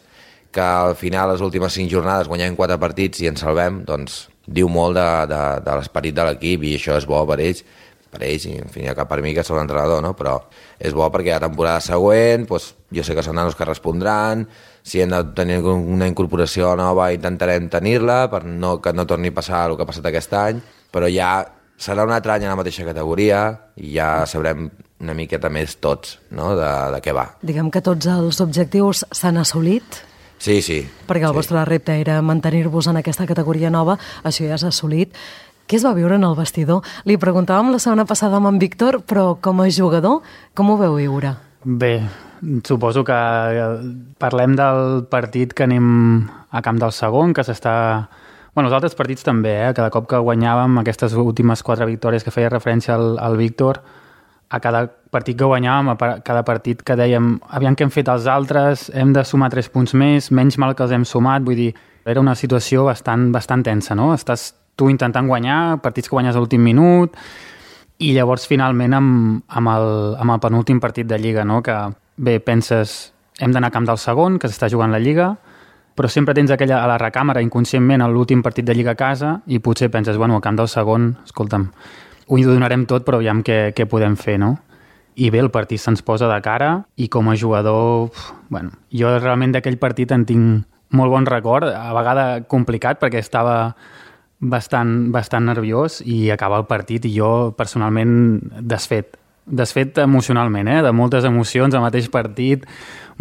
que al final, les últimes cinc jornades, guanyem quatre partits i ens salvem, doncs diu molt de, de, de l'esperit de l'equip, i això és bo per ells, per ells, i en fi, cap per mi que sóc l'entrenador, no? Però és bo perquè la temporada següent doncs, jo sé que són nanos que respondran, si hem de tenir una incorporació nova intentarem tenir-la per no, que no torni a passar el que ha passat aquest any, però ja serà un altre any a la mateixa categoria i ja sabrem una miqueta més tots, no? de, de què va. Diguem que tots els objectius s'han assolit? Sí, sí. Perquè el sí. vostre repte era mantenir-vos en aquesta categoria nova, això ja s'ha assolit. Què es va viure en el vestidor? Li preguntàvem la setmana passada amb en Víctor, però com a jugador, com ho veu viure? Bé, suposo que parlem del partit que anem a Camp del Segon, que s'està... Bueno, els altres partits també, eh? Cada cop que guanyàvem aquestes últimes quatre victòries que feia referència al, al Víctor, a cada partit que guanyàvem, a cada partit que dèiem aviam què hem fet els altres, hem de sumar tres punts més, menys mal que els hem sumat, vull dir, era una situació bastant, bastant tensa, no? Estàs tu intentant guanyar, partits que guanyes a l'últim minut, i llavors finalment amb, amb, el, amb el penúltim partit de Lliga, no? Que bé, penses, hem d'anar a Camp del Segon, que s'està jugant la Lliga, però sempre tens aquella a la recàmera inconscientment a l'últim partit de Lliga a casa i potser penses, bueno, a Camp del Segon, escolta'm, ho donarem tot, però aviam què, què podem fer, no? I bé, el partit se'ns posa de cara i com a jugador, bueno, jo realment d'aquell partit en tinc molt bon record, a vegada complicat perquè estava bastant, bastant nerviós i acaba el partit i jo personalment desfet, desfet emocionalment, eh? De moltes emocions al mateix partit,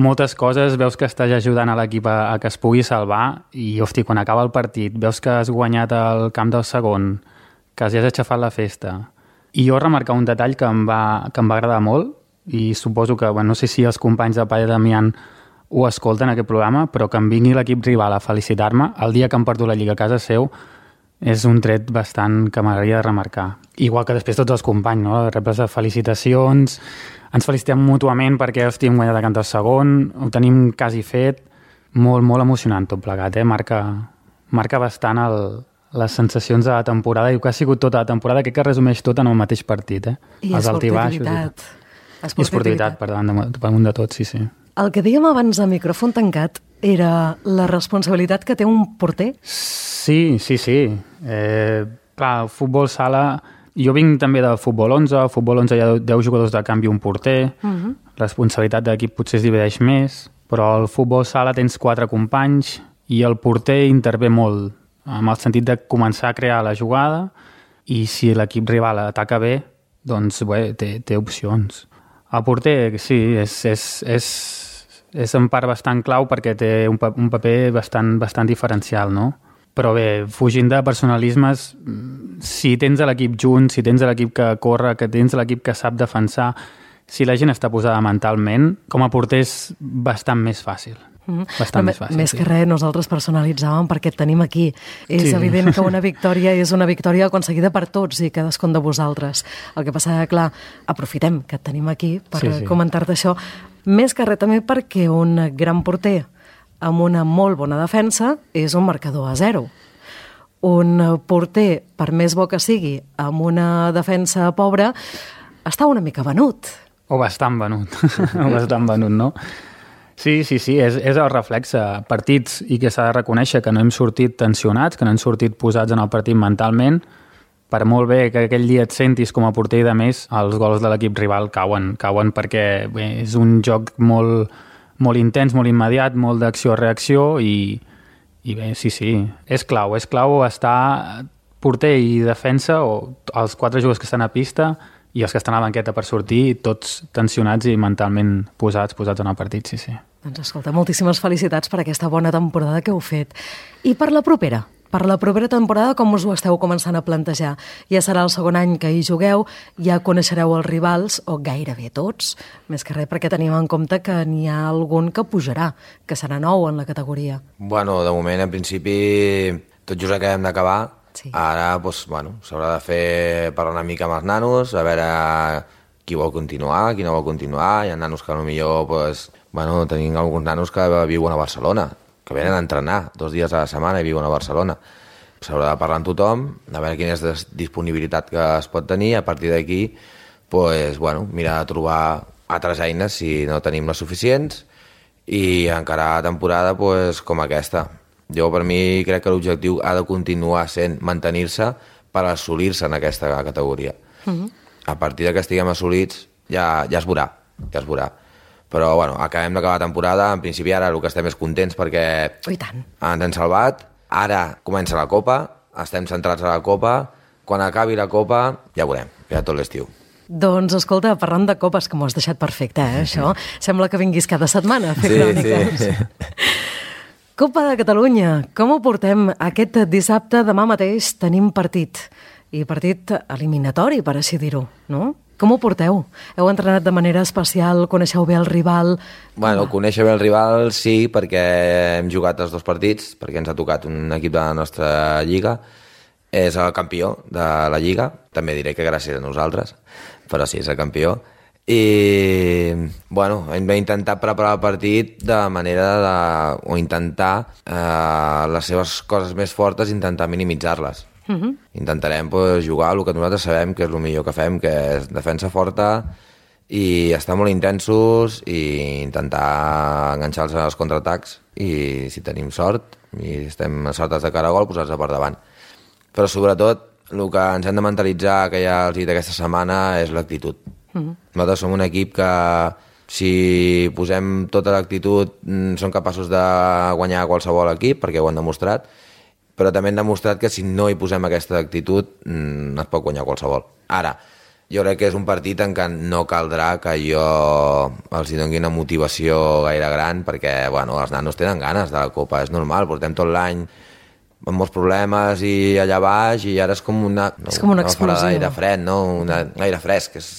moltes coses, veus que estàs ajudant a l'equip a, a que es pugui salvar i, hosti, quan acaba el partit, veus que has guanyat el Camp del Segon, que els has aixafat la festa. I jo remarcar un detall que em va, que em va agradar molt i suposo que, bueno, no sé si els companys de Palla Damián ho escolten, aquest programa, però que em vingui l'equip rival a felicitar-me el dia que em porto la Lliga a casa seu és un tret bastant que m'agradaria de remarcar. Igual que després tots els companys, no? Rebles de felicitacions, ens felicitem mútuament perquè hosti, hem guanyat a cantar segon, ho tenim quasi fet, molt, molt emocionant tot plegat, eh? Marca, marca bastant el, les sensacions de la temporada i que ha sigut tota la temporada, crec que resumeix tot en el mateix partit, eh? I els esportivitat. I esportivitat, per davant de, per damunt de tot, sí, sí. El que dèiem abans de micròfon tancat era la responsabilitat que té un porter? Sí, sí, sí. Eh, clar, futbol sala... Jo vinc també del futbol onze, al futbol onze hi ha deu jugadors de canvi un porter, uh -huh. La responsabilitat d'equip potser es divideix més, però al futbol sala tens quatre companys i el porter intervé molt, amb el sentit de començar a crear la jugada i si l'equip rival ataca bé, doncs bé, té, té opcions. El porter, sí, és, és, és, és en part bastant clau perquè té un, un paper bastant, bastant diferencial, no? Però bé, fugint de personalismes, si tens l'equip junt, si tens l'equip que corre, que tens l'equip que sap defensar, si la gent està posada mentalment, com a porter és bastant més fàcil. Mm-hmm. Bastant més fàcil. Més sí. que res, nosaltres personalitzàvem perquè et tenim aquí. És sí. evident que una victòria és una victòria aconseguida per tots i cadascun de vosaltres. El que passa que, clar, aprofitem que et tenim aquí per sí, sí. comentar-te això. Més que res també perquè un gran porter amb una molt bona defensa és un marcador a zero. Un porter, per més bo que sigui, amb una defensa pobra, està una mica venut. O bastant venut. o bastant venut, no? Sí, sí, sí, és, és el reflexe. Partits i que s'ha de reconèixer que no hem sortit tensionats, que no hem sortit posats en el partit mentalment. Per molt bé que aquell dia et sentis com a porter i de més, els gols de l'equip rival cauen, cauen perquè bé, és un joc molt... molt intens, molt immediat, molt d'acció-reacció i, i bé, sí, sí, és clau, és clau estar porter i defensa o els quatre jugadors que estan a pista i els que estan a la banqueta per sortir, tots tensionats i mentalment posats, posats en el partit, sí, sí. Doncs escolta, moltíssimes felicitats per aquesta bona temporada que heu fet. I per la propera? Per la propera temporada, com us ho esteu començant a plantejar? Ja serà el segon any que hi jugueu, ja coneixereu els rivals, o gairebé tots, més que res perquè tenim en compte que n'hi ha algun que pujarà, que serà nou en la categoria. Bueno, de moment, en principi, tot just acabem d'acabar. Sí. Ara, doncs, bueno, s'haurà de fer parlar una mica amb els nanos, a veure qui vol continuar, qui no vol continuar. Hi ha nanos que potser, doncs, bueno, tenim alguns nanos que viuen a Barcelona, que venen a entrenar dos dies a la setmana i viuen a Barcelona. S'haurà de parlar amb tothom, a veure quina és la disponibilitat que es pot tenir, a partir d'aquí, pues, bueno, mirar de trobar altres eines si no tenim les suficients i encarar temporada pues, com aquesta. Jo, per mi, crec que l'objectiu ha de continuar sent mantenir-se per assolir-se en aquesta categoria. Uh-huh. A partir de que estiguem assolits ja, ja es veurà, ja es veurà. Però, bueno, acabem d'acabar la temporada. En principi, ara el que estem és contents perquè oh, tant. ens hem salvat. Ara comença la Copa, estem centrats a la Copa. Quan acabi la Copa, ja veurem, ja tot l'estiu. Doncs, escolta, parlant de copes, que m'ho has deixat perfecte, eh, això. Sembla que vinguis cada setmana a fer sí, cròniques. Sí. Copa de Catalunya, com ho portem? Aquest dissabte, demà mateix, tenim partit. I partit eliminatori, per així dir-ho, no? Com ho porteu? Heu entrenat de manera especial? Coneixeu bé el rival? Bueno, conèixer bé el rival sí, perquè hem jugat els dos partits, perquè ens ha tocat un equip de la nostra lliga. És el campió de la lliga, també diré que gràcies a nosaltres, però sí, és el campió. I, bueno, hem d'intentar preparar el partit de manera de... o intentar eh, les seves coses més fortes, intentar minimitzar-les. Uh-huh. Intentarem pues, jugar el que nosaltres sabem que és el millor que fem, que és defensa forta i estar molt intensos i intentar enganxar-los als contraatacs i si tenim sort i estem sortes de cara a gol, posar-se per davant. Però sobretot el que ens hem de mentalitzar, que ja els he dit aquesta setmana, és l'actitud. Uh-huh. Nosaltres som un equip que si posem tota l'actitud som capaços de guanyar qualsevol equip, perquè ho han demostrat, però també hem demostrat que si no hi posem aquesta actitud mmm, es pot guanyar qualsevol. Ara, jo crec que és un partit en què no caldrà que jo els hi doni una motivació gaire gran, perquè bueno, els nanos tenen ganes de la Copa, és normal, portem tot l'any amb molts problemes i allà baix i ara és com una, no, és com una explosió. Una gaire fred, no? Una gaire fresc, és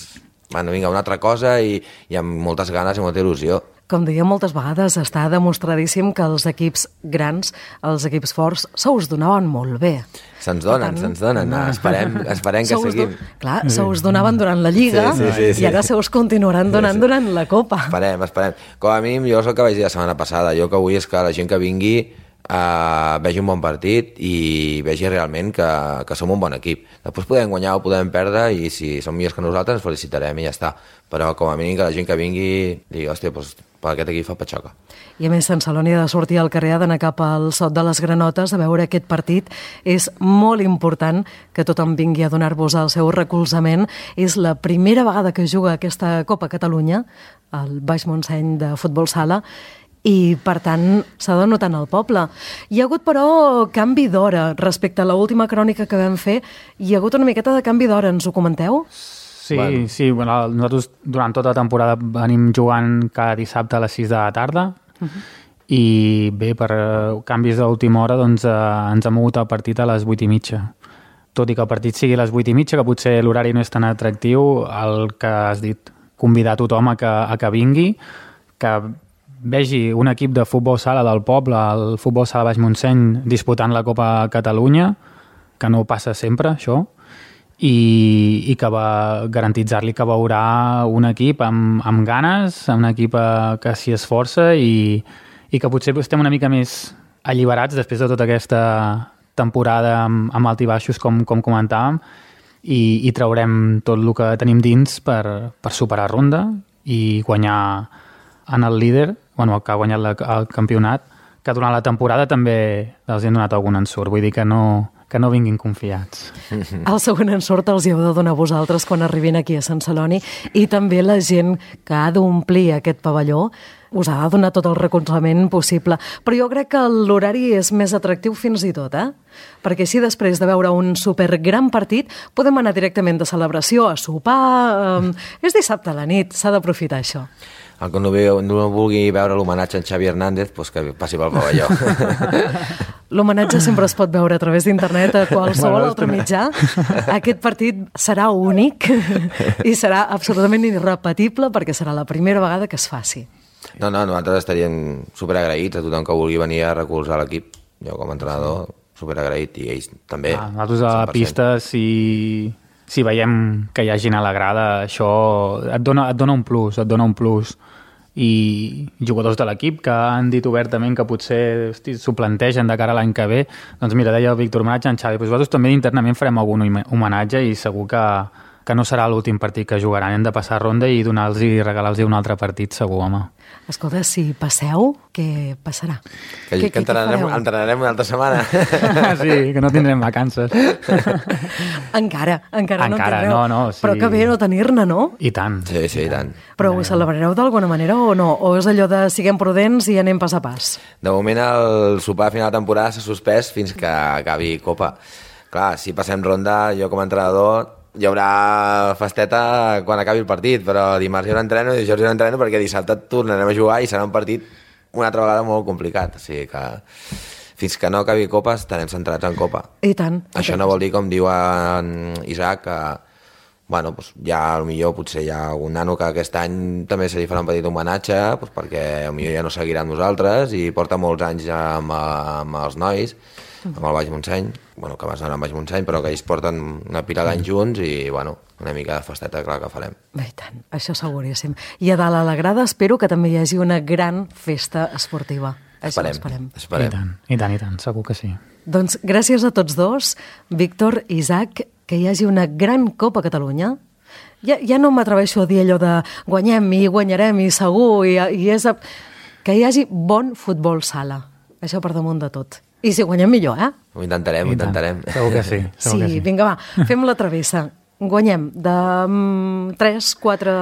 bueno, vinga, una altra cosa i, i amb moltes ganes i molta il·lusió. Com deia moltes vegades, està demostradíssim que els equips grans, els equips forts, se us donaven molt bé. Se'ns donen, se'ns donen. No, esperem, esperem que seguim. Do... Clar, se us donaven durant la Lliga sí, sí, sí, sí. i ara se us continuaran donant sí, sí. durant la Copa. Esperem, esperem. Com a mínim, jo és el que vaig dir la setmana passada. Jo que vull és que la gent que vingui Uh, vegi un bon partit i vegi realment que, que som un bon equip. Després podem guanyar o podem perdre i si som millors que nosaltres ens felicitarem i ja està. Però com a mínim que la gent que vingui digui, hòstia, doncs per aquest equip fa patxoca. I a més, Sant Celoni ha de sortir al carrer, ha d'anar cap al Sot de les Granotes a veure aquest partit. És molt important que tothom vingui a donar-vos el seu recolzament. És la primera vegada que juga aquesta Copa Catalunya, el Baix Montseny de futbol sala, i, per tant, s'ha de notar en el poble. Hi ha hagut, però, canvi d'hora respecte a l'última crònica que vam fer. Hi ha hagut una miqueta de canvi d'hora, ens ho comenteu? Sí, bueno. sí. Bueno, nosaltres durant tota la temporada venim jugant cada dissabte a les sis de la tarda uh-huh. i bé, per canvis d'última hora doncs, eh, ens ha mogut el partit a les vuit i mitja. Tot i que el partit sigui a les vuit i mitja, que potser l'horari no és tan atractiu, el que has dit, convidar tothom a que, a que vingui, que vegi un equip de futbol sala del poble, el futbol sala Baix Montseny, disputant la Copa Catalunya, que no passa sempre, això, i, i que va garantitzar-li que veurà un equip amb, amb ganes, un equip que s'hi esforça i, i que potser estem una mica més alliberats després de tota aquesta temporada amb, amb alt i baixos, com, com comentàvem, i, i traurem tot el que tenim dins per, per superar ronda i guanyar en el líder, bueno, que ha guanyat la, el campionat, que durant la temporada també els hem donat algun ensurt. Vull dir que no, que no vinguin confiats. El segon ensurt els hi heu de donar vosaltres quan arribin aquí a Sant Celoni i també la gent que ha d'omplir aquest pavelló us ha de donar tot el recolzament possible. Però jo crec que l'horari és més atractiu fins i tot, eh? Perquè així després de veure un supergran partit podem anar directament de celebració a sopar. Eh, és dissabte a la nit, s'ha d'aprofitar això. El que no, veu, no vulgui veure l'homenatge a en Xavi Hernández, doncs que passi pel pavelló. L'homenatge sempre es pot veure a través d'internet a qualsevol bueno, altre mitjà. Aquest partit serà únic i serà absolutament irrepetible perquè serà la primera vegada que es faci. No, no, nosaltres estaríem superagraïts a tothom que vulgui venir a recolzar l'equip. Jo com a entrenador, superagraït, i ells també. Ah, nosaltres a la pista, si... si veiem que hi ha gent a la grada, això et dona, et dona un plus, et dona un plus. I jugadors de l'equip que han dit obertament que potser hosti, s'ho plantegen de cara a l'any que ve, doncs mira, deia el Víctor homenatge a en Xavi, però nosaltres també internament farem algun homenatge i segur que, que no serà l'últim partit que jugaran, hem de passar ronda i donar-los i regalar-los un altre partit segur, home. Escolta, si passeu, què passarà? Que, que, que entrenarem, entrenarem una altra setmana. Sí, que no tindrem vacances. encara, encara, encara no en tindreu. No, no, sí. Però que bé no tenir-ne, no? I tant. Sí, sí, i tant. Però ho celebrareu d'alguna manera o no? O és allò de siguem prudents i anem pas a pas? De moment el sopar a final de temporada s'ha suspès fins que acabi Copa. Clar, si passem ronda, jo com a entrenador hi haurà festeta quan acabi el partit, però dimarts hi haurà entreno i dijous hi haurà entreno perquè dissabte tornarem a jugar i serà un partit una altra vegada molt complicat. O sigui que fins que no acabi Copa estarem centrats en Copa. I tant. Això no vol dir, com diu en Isaac, que bueno, doncs ja potser potser hi ha algun nano que aquest any també se li farà un petit homenatge doncs perquè potser ja no seguirà amb nosaltres i porta molts anys ja amb, amb els nois, amb el Baix Montseny, bueno, que vas anar al Baix Montseny, però que ells porten una pila d'anys junts i, bueno, una mica de festeta, clar, que farem. Bé, i tant, això seguríssim. I a dalt a la grada espero que també hi hagi una gran festa esportiva. Esperem, esperem. esperem. I tant, i tant, i tant, segur que sí. Doncs gràcies a tots dos, Víctor, Isaac, que hi hagi una gran Copa Catalunya. Ja, ja no m'atreveixo a dir allò de guanyem i guanyarem i segur, i, i és a... que hi hagi bon futbol sala. Això per damunt de tot. I si guanyem millor, eh? Ho intentarem, ho intentarem. Segur que sí. Segur sí, que sí. Vinga, va, fem la travessa. Guanyem de um, tres, quatre,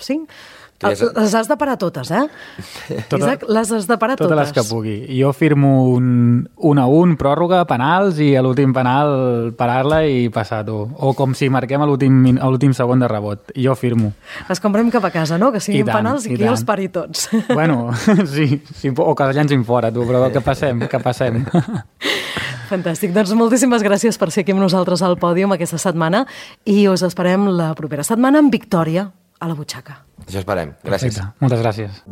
cinc... Les, les has de parar totes, eh? Tota, Isaac, les has de parar totes. Totes les que pugui. Jo firmo un, un a un, pròrroga, penals, i a l'últim penal parar-la i passar-ho. O com si marquem a l'últim segon de rebot. Jo firmo. Les comprem cap a casa, no? Que siguin tant, penals i, i que jo els pari tots. Bueno, sí, sí, o que els llancin fora, tu, però que passem, que passem. Fantàstic. Doncs moltíssimes gràcies per ser aquí amb nosaltres al pòdium aquesta setmana i us esperem la propera setmana amb victòria a la butxaca. Això esperem. Gràcies. Perfecte. Moltes gràcies.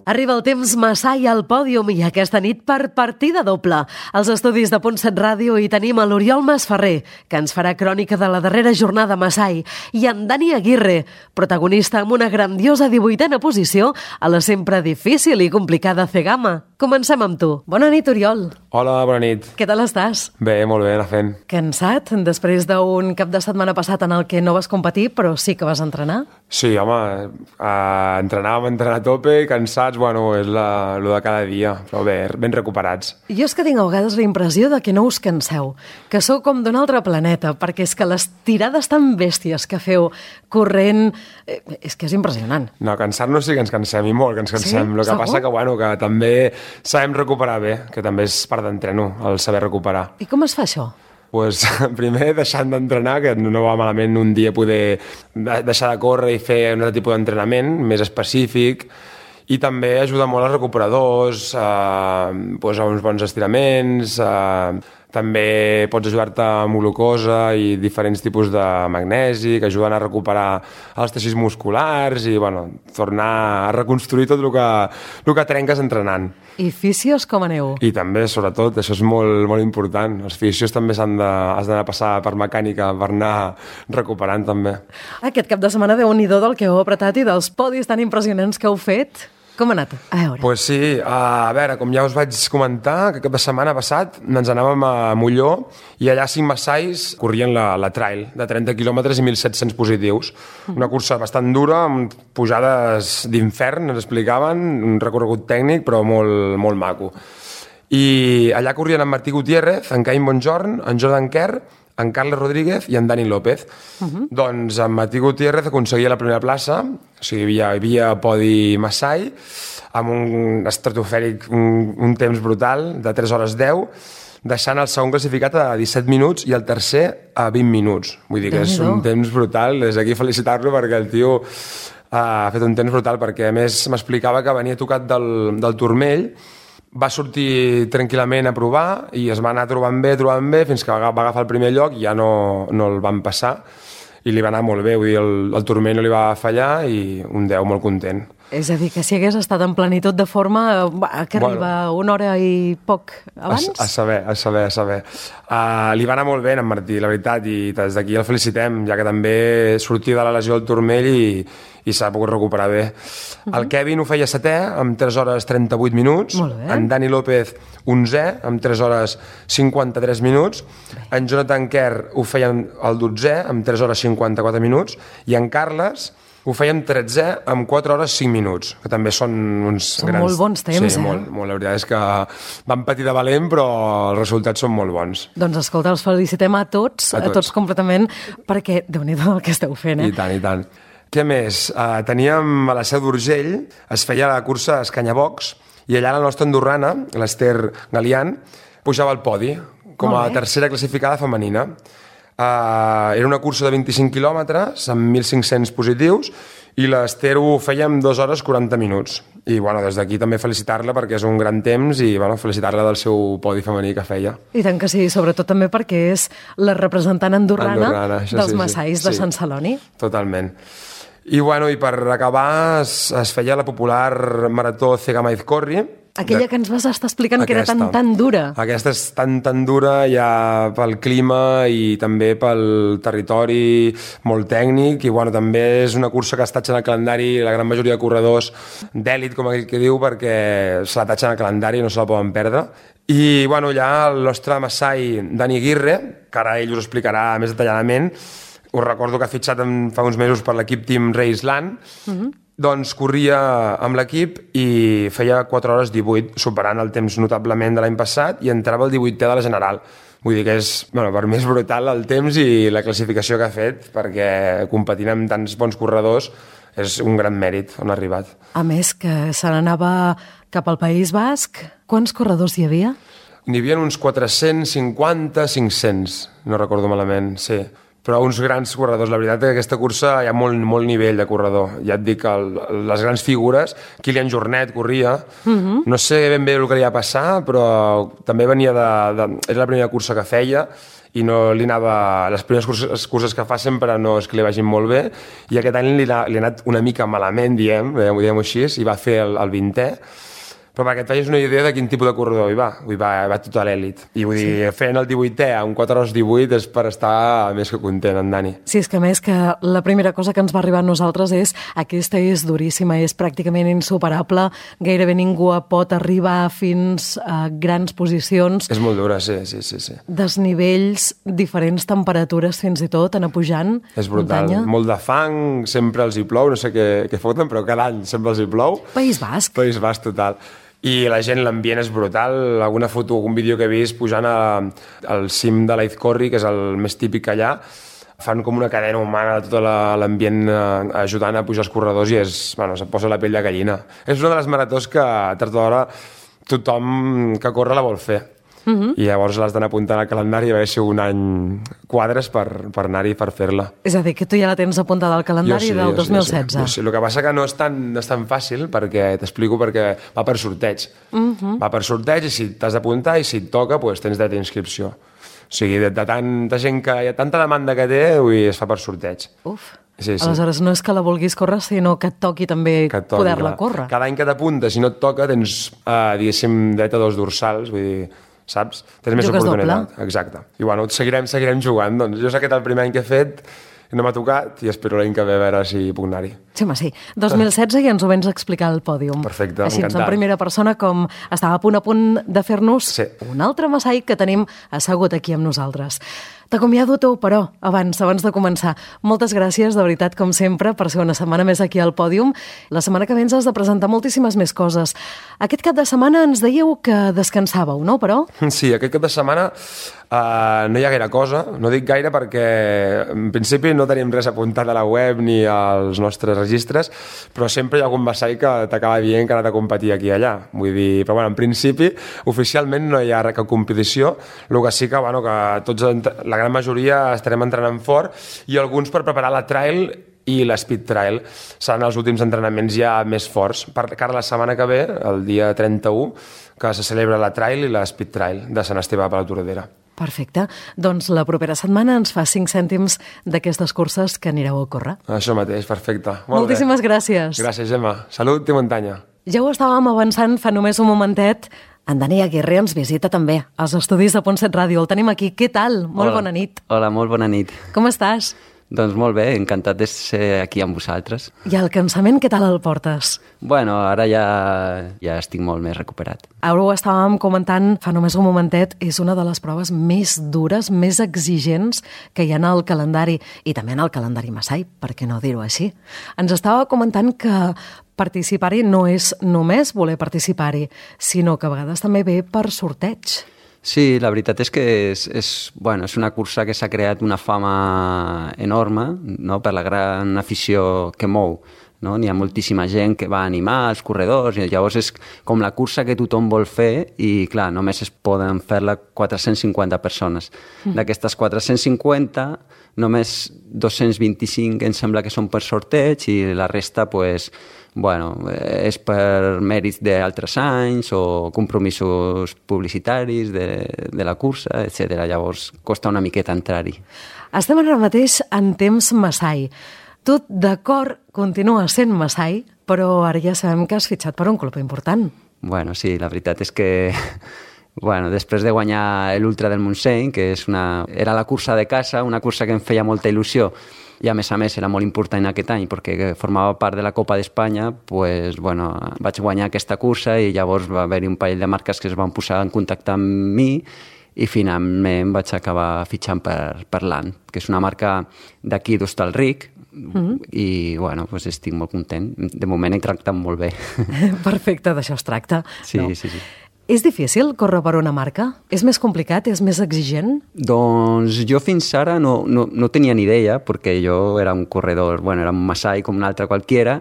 Arriba el temps Masai al pòdium i aquesta nit per partida doble. Als estudis de Punt set Ràdio hi tenim a l'Oriol Masferrer, que ens farà crònica de la darrera jornada Masai, i en Dani Aguirre, protagonista amb una grandiosa divuitena posició a la sempre difícil i complicada Cegama. Comencem amb tu. Bona nit, Oriol. Hola, bona nit. Què tal estàs? Bé, molt bé, anar fent. Cansat, després d'un cap de setmana passat en el que no vas competir, però sí que vas entrenar? Sí, home, eh, entrenar, vam entrenar a tope, cansats, bueno, és la, lo de cada dia, però bé, ben recuperats. Jo és que tinc a vegades la impressió de que no us canseu, que sou com d'un altre planeta, perquè és que les tirades tan bèsties que feu corrent, eh, és que és impressionant. No, cansar-nos sí que ens cansem, i molt que ens cansem. Sí? El que Segur? passa que, bueno, que també sabem recuperar bé, que també és part d'entreno, el saber recuperar. I com es fa això? Pues, primer deixant d'entrenar, que no va malament un dia poder deixar de córrer i fer un altre tipus d'entrenament més específic, i també ajuda molt als recuperadors, eh, pues, a uns bons estiraments, eh, també pots ajudar-te amb glucosa i diferents tipus de magnesi que ajuden a recuperar els teixits musculars i bueno, tornar a reconstruir tot el que, el que trenques entrenant. I fisios com aneu? I també, sobretot, això és molt, molt important. Els fisios també s'han de, has d'anar a passar per mecànica per anar recuperant també. Aquest cap de setmana, Déu-n'hi-do del que heu apretat i dels podis tan impressionants que heu fet. Com ha anat? A veure. Pues sí, a veure, com ja us vaig comentar, que cap de setmana passat ens anàvem a Molló i allà a cinc Massais corrien la, la trail de trenta quilòmetres i mil set-cents positius. Una cursa bastant dura, amb pujades d'infern, ens explicaven, un recorregut tècnic, però molt, molt maco. I allà corrien en Martí Gutiérrez, en Caim Bonjorn, en Jordan Kerr, en Carles Rodríguez i en Dani López. Uh-huh. Doncs en Martí Gutiérrez aconseguia la primera plaça, o sigui, hi havia, hi havia podi Massai, amb un estratosfèric, un, un temps brutal, de tres hores deu, deixant el segon classificat a disset minuts i el tercer a vint minuts. Vull dir que és un temps brutal, des d'aquí felicitar-lo perquè el tio ha fet un temps brutal, perquè a més m'explicava que venia tocat del, del turmell, va sortir tranquil·lament a provar i es va anar trobant bé, trobant bé, fins que va agafar el primer lloc i ja no, no el van passar i li va anar molt bé, vull dir, el, el turmell no li va fallar i un deu molt content. És a dir, que si hagués estat en plenitud de forma, que arriba bueno, una hora i poc abans? A, a saber, a saber, a saber. Uh, li va anar molt bé en Martí, la veritat, i des d'aquí el felicitem, ja que també sortia de la lesió del turmell i, i s'ha pogut recuperar bé. Uh-huh. El Kevin ho feia setè, amb tres hores trenta-vuit minuts. En Dani López, onzè, amb tres hores cinquanta-tres minuts. Bé. En Jonathan Kerr ho feia el dotzè, amb tres hores cinquanta-quatre minuts. I en Carles ho fèiem tretzè amb quatre hores cinc minuts, que també són uns són grans... molt bons temps, sí, eh? molt, molt. La veritat és que van patir de valent, però els resultats són molt bons. Doncs escolta, els felicitem a tots, a tots, a tots completament, perquè Déu-n'hi-do el que esteu fent, eh? I tant, i tant. Què més? Uh, teníem a la Seu d'Urgell, es feia la cursa Escanyabocs, i allà la nostra andorrana, l'Ester Galian, pujava al podi, com a tercera classificada femenina. Uh, era una cursa de vint-i-cinc quilòmetres amb mil cinc-cents positius i l'Ester ho feia en dues hores quaranta minuts i bueno, des d'aquí també felicitar-la perquè és un gran temps i bueno, felicitar-la del seu podi femení que feia. I tant que sí, sobretot també perquè és la representant andorrana, andorrana dels sí, Massais sí, de sí. Sant Celoni. Totalment. I, bueno, i per acabar es, es feia la popular marató Cegama Izcorri. Aquella que ens vas estar explicant aquesta, que era tan, tan dura. Aquesta és tan, tan dura ja pel clima i també pel territori molt tècnic i bueno, també és una cursa que es tatxa en el calendari la gran majoria de corredors d'èlit, com aquell que diu, perquè se la tatxa en el calendari i no se la poden perdre. I bueno, ja el nostre Massai Dani Aguirre, que ara ell us explicarà més detalladament, us recordo que ha fitxat en, fa uns mesos per l'equip Team Raceland, uh-huh. doncs corria amb l'equip i feia quatre hores divuit, superant el temps notablement de l'any passat i entrava el divuitè de la general. Vull dir que és, bueno, per mi és brutal el temps i la classificació que ha fet, perquè competint amb tants bons corredors és un gran mèrit on ha arribat. A més, que se n'anava cap al País Basc, quants corredors hi havia? N'hi havia uns quatre-cents cinquanta, cinc-cents, no recordo malament, sí. però uns grans corredors. La veritat és que aquesta cursa hi ha molt, molt nivell de corredor. Ja et dic, el, les grans figures, Kilian Jornet corria, uh-huh. no sé ben bé el que li va passar, però també venia de, de... Era la primera cursa que feia, i no li anava... Les primeres curses, curses que fa sempre no és que li vagin molt bé, i aquest any li ha, li ha anat una mica malament, diem, diguem-ho així, i va fer el, el vintè, però perquè et facis una idea de quin tipus de corredor hi va. Hi va, hi va tot a l'èlit. I vull dir, sí. fent el divuitè a un quatre hores divuit és per estar més que content, en Dani. Sí, és que a més que la primera cosa que ens va arribar a nosaltres és aquesta és duríssima, és pràcticament insuperable, gairebé ningú pot arribar fins a grans posicions. És molt dura, sí, sí, sí. sí. Desnivells, diferents temperatures fins i tot, anar pujant. És brutal, muntanya. Molt de fang, sempre els hi plou, no sé què, què foten, però cada any sempre els hi plou. País Basc. País Basc, total. I la gent, l'ambient és brutal. Alguna foto, algun vídeo que he vist pujant a, al cim de l'Aizkorri, que és el més típic allà, fan com una cadena humana de tot l'ambient ajudant a pujar els corredors i és, bueno, se't posa la pell de gallina. És una de les maratons que, tard o d'hora, tothom que corre la vol fer. Uh-huh. I llavors l'has d'anar apuntant al calendari a veure si un any quadres per, per anar-hi per fer-la. És a dir, que tu ja la tens apuntada al calendari sí, del dos mil setze. Sí, sí. El que passa que no és tan, no és tan fàcil, perquè t'explico perquè va per sorteig. Uh-huh. Va per sorteig i si t'has d'apuntar i si et toca doncs tens dret d'inscripció. O sigui, de, de tanta gent que hi ha tanta demanda que té, ui, es fa per sorteig. Uf. Sí, sí. Aleshores no és que la vulguis córrer, sinó que et toqui també poder-la córrer. Cada any que t'apuntes, si no et toca, tens, eh, diguéssim, dret a dos dorsals, vull dir, saps? Tens més Jugues oportunitat. Doble. Exacte. I bueno, seguirem, seguirem jugant. Doncs jo sé que el primer any que he fet no m'ha tocat i espero l'any que ve a veure si puc anar-hi. Sí, home, sí. dos mil setze i ens ho vens a explicar al pòdium. Perfecte, així, encantat. en primera persona, com estava a punt a punt de fer-nos sí. un altre Masai que tenim assegut aquí amb nosaltres. T'acomiado tu, però, abans, abans de començar. Moltes gràcies, de veritat, com sempre, per ser una setmana més aquí al pòdium. La setmana que vens has de presentar moltíssimes més coses. Aquest cap de setmana ens dèieu que descansàveu, no, però? Sí, aquest cap de setmana uh, no hi ha gaire cosa. No dic gaire perquè, en principi, no tenim res apuntat a la web ni als nostres registres, però sempre hi ha algun Masai que t'acaba dient que ha anat a competir aquí i allà. Vull dir, però bueno, en principi, oficialment no hi ha cap competició, el que sí que, bueno, que tots, la gran majoria estarem entrenant fort i alguns per preparar la trail i l'speed trail. Seran els últims entrenaments ja més forts. Per cara la setmana que ve, el dia trenta-u, que se celebra la trail i l'speed trail de Sant Esteve per la Tordera. Perfecte. Doncs la propera setmana ens fa cinc cèntims d'aquestes curses que anireu a córrer. Això mateix, perfecte. Molt Moltíssimes bé. gràcies. Gràcies, Gemma. Salut i muntanya. Ja ho estàvem avançant fa només un momentet. En Dani Aguirre ens visita també als estudis de Pontset Ràdio. El tenim aquí. Què tal? Molt Hola. bona nit. Hola, molt bona nit. Com estàs? Doncs molt bé, encantat de ser aquí amb vosaltres. I el cansament, què tal el portes? Bueno, ara ja, ja estic molt més recuperat. Ara ho estàvem comentant fa només un momentet, és una de les proves més dures, més exigents que hi ha al calendari, i també en el calendari Masai, per què no dir-ho així? Ens estava comentant que participar-hi no és només voler participar-hi, sinó que a vegades també ve per sorteig. Sí, la veritat és que és, és, bueno, és una cursa que s'ha creat una fama enorme, no?, per la gran afició que mou. No? N'hi ha moltíssima gent que va animar els corredors i llavors és com la cursa que tothom vol fer i, clar, només es poden fer-la quatre-cents cinquanta persones. Mm. D'aquestes quatre-cents cinquanta, només dos-cents vint-i-cinc em sembla que són per sorteig i la resta, pues, bueno, és per mèrits d'altres anys o compromisos publicitaris de, de la cursa, etcètera. Llavors costa una miqueta entrar-hi. Estem ara mateix en temps Masai. Tu, d'acord, continues sent Masai, però ara ja sabem que has fitxat per un club important. Bueno, sí, la veritat és que bueno, després de guanyar l'Ultra del Montseny, que és una, era la cursa de casa, una cursa que em feia molta il·lusió, i a més a més era molt important aquest any perquè formava part de la Copa d'Espanya, pues, bueno, vaig guanyar aquesta cursa i llavors va haver-hi un parell de marques que es van posar en contacte amb mi i finalment vaig acabar fitxant per, per l'A N, que és una marca d'aquí d'Hostalric, mm-hmm. i bueno, pues estic molt content. De moment he tractat molt bé. Perfecte, d'això es tracta. Sí, no. sí, sí. És difícil córrer per una marca? És més complicat? És més exigent? Doncs jo fins ara no, no, no tenia ni idea, perquè jo era un corredor, bueno, era un Masai com un altre qualquiera,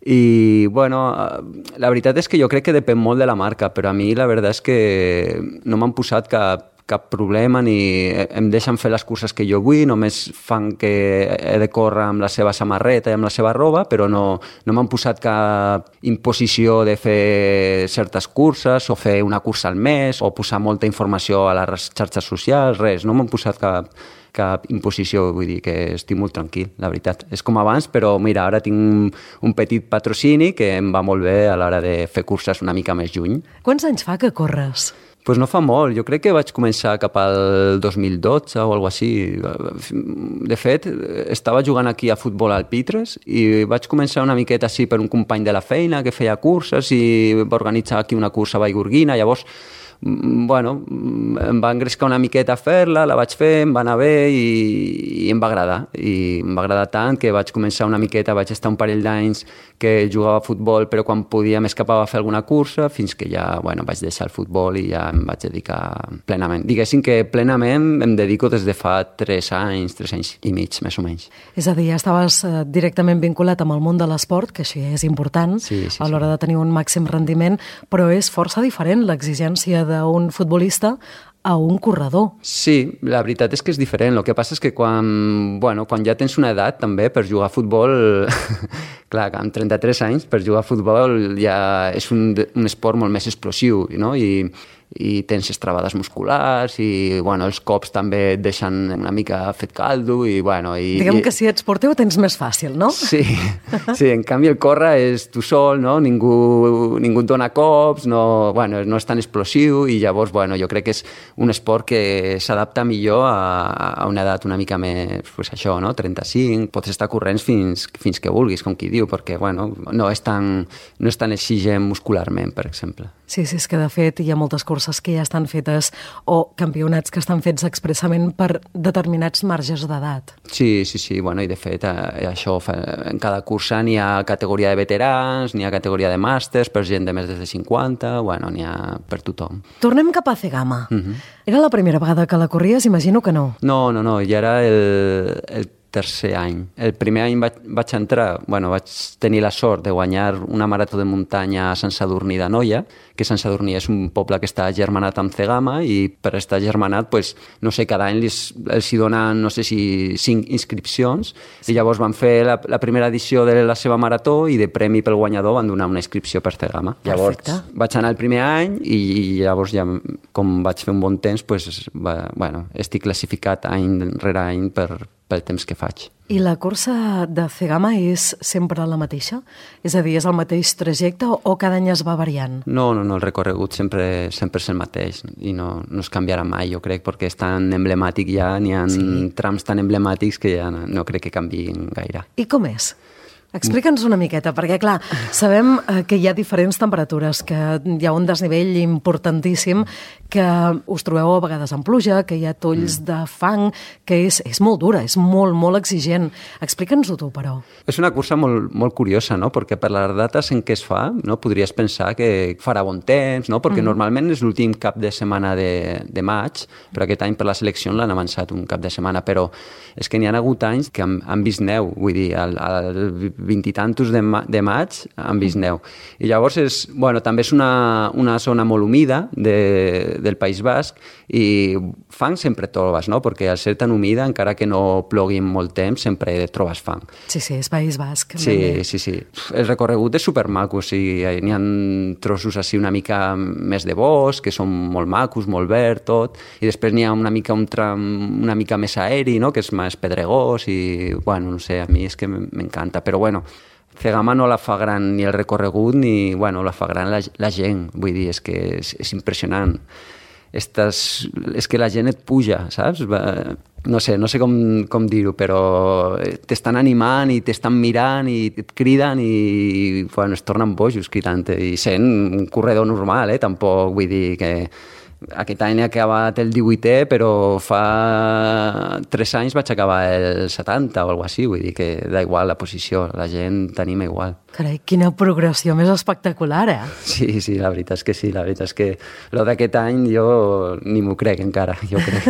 i bueno, la veritat és que jo crec que depèn molt de la marca, però a mi la veritat és que no m'han posat cap, cap problema, ni em deixen fer les curses que jo vull, només fan que he de córrer amb la seva samarreta i amb la seva roba, però no, no m'han posat cap imposició de fer certes curses o fer una cursa al mes o posar molta informació a les xarxes socials, res, no m'han posat cap, cap imposició, vull dir que estic molt tranquil, la veritat. És com abans, però mira, ara tinc un, un petit patrocini que em va molt bé a l'hora de fer curses una mica més lluny. Quants anys fa que corres? Pues no fa molt, jo crec que vaig començar cap al dos mil dotze o alguna cosa així. De fet, estava jugant aquí a futbol al Pitres i vaig començar una miqueta així per un company de la feina que feia curses i va organitzar aquí una cursa a Vallgorguina, llavors bueno, em va engrescar una miqueta a fer-la, la vaig fer, em va anar bé i, i em va agradar. I em va agradar tant que vaig començar una miqueta, vaig estar un parell d'anys que jugava a futbol, però quan podia m'escapava a fer alguna cursa, fins que ja bueno, vaig deixar el futbol i ja em vaig dedicar plenament. Diguéssim que plenament em dedico des de fa tres anys, tres anys i mig, més o menys. És a dir, ja estaves directament vinculat amb el món de l'esport, que això és important sí, sí, a l'hora sí. de tenir un màxim rendiment, però és força diferent l'exigència d'un futbolista a un corredor. Sí, la veritat és que és diferent. El que passa és que quan, bueno, quan ja tens una edat també per jugar a futbol, clar, amb trenta-tres anys per jugar a futbol ja és un, un esport molt més explosiu, no? I, i tens estrabades musculars i bueno, els cops també et deixen una mica fet caldo i bueno... I, Diguem i... que si ets porter ho tens més fàcil, no? Sí, sí, en canvi el córrer és tu sol, no? Ningú, ningú et dona cops, no, bueno, no és tan explosiu i llavors bueno, jo crec que és un esport que s'adapta millor a, a una edat una mica més, pues això, no? trenta-cinc, pots estar corrents fins, fins que vulguis, com qui diu, perquè bueno, no és tan, no és tan exigent muscularment, per exemple. Sí, sí, és que de fet hi ha moltes curses que ja estan fetes o campionats que estan fets expressament per determinats marges d'edat. Sí, sí, sí, bueno, i de fet eh, això, en cada cursa n'hi ha categoria de veterans, n'hi ha categoria de màsters per gent de més de cinquanta, bueno, n'hi ha per tothom. Tornem cap a Cegama. Uh-huh. Era la primera vegada que la corries? Imagino que no. No, no, no, ja era el, el tercer any. El primer any vaig, vaig entrar, bueno, vaig tenir la sort de guanyar una marató de muntanya a Sant Sadurní d'Anoia, que Sant Sadurní és un poble que està germanat amb Cegama i per estar germanat, pues, no sé, cada any els, els hi donen, no sé si cinc inscripcions i llavors van fer la, la primera edició de la seva marató i de premi pel guanyador van donar una inscripció per Cegama. Llavors Perfecte. Vaig anar el primer any i, i llavors ja, com vaig fer un bon temps, pues, va, bueno, estic classificat any rere any per pel temps que faig. I la cursa de Cegama és sempre la mateixa? És a dir, és el mateix trajecte o, o cada any es va variant? No, no, no, el recorregut sempre, sempre és el mateix i no, no es canviarà mai, jo crec, perquè és tan emblemàtic ja, n'hi ha sí. trams tan emblemàtics que ja no, no crec que canviïn gaire. I com és? Explica'ns una miqueta, perquè clar, sabem que hi ha diferents temperatures, que hi ha un desnivell importantíssim, que us trobeu a vegades en pluja, que hi ha tolls mm. de fang, que és, és molt dura, és molt, molt exigent. Explica'ns-ho tu, però. És una cursa molt, molt curiosa, no? Perquè per les dates en què es fa, no? Podries pensar que farà bon temps, no? Perquè mm. normalment és l'últim cap de setmana de, de maig, però aquest any per la selecció l'han avançat un cap de setmana, però és que n'hi ha hagut anys que han, han vist neu, vull dir, al, al vint i tantos de, ma de maig han vist neu. I llavors és, bueno, també és una, una zona molt humida de, del País Basc i fang sempre trobes, no? Perquè al ser tan humida, encara que no plogui molt temps, sempre trobes fang. Sí, sí, és País Basc. Sí, sí, sí. El recorregut és supermaco, o sigui, n'hi ha trossos així una mica més de bosc, que són molt macos, molt verd, tot, i després n'hi ha una mica un tram una mica més aeri, no? Que és més pedregós i, bueno, no sé, a mi és que m'encanta, però bueno, Cegama no la fa gran ni el recorregut ni, bueno, la fa gran la, la gent, vull dir, és que és, és impressionant. Estàs, és que la gent et puja, saps? No sé, no sé com, com dir-ho, però t'estan animant i t'estan mirant i et criden i, bueno, es tornen bojos cridant-te i sent un corredor normal, eh? Tampoc vull dir que aquest any he acabat el divuitè, però fa tres anys vaig acabar el setanta o alguna cosa així, vull dir que da igual la posició, la gent t'anima igual. Carai, quina progressió més espectacular, eh? Sí, sí, la veritat és que sí, la veritat és que el d'aquest any jo ni m'ho crec encara, jo crec.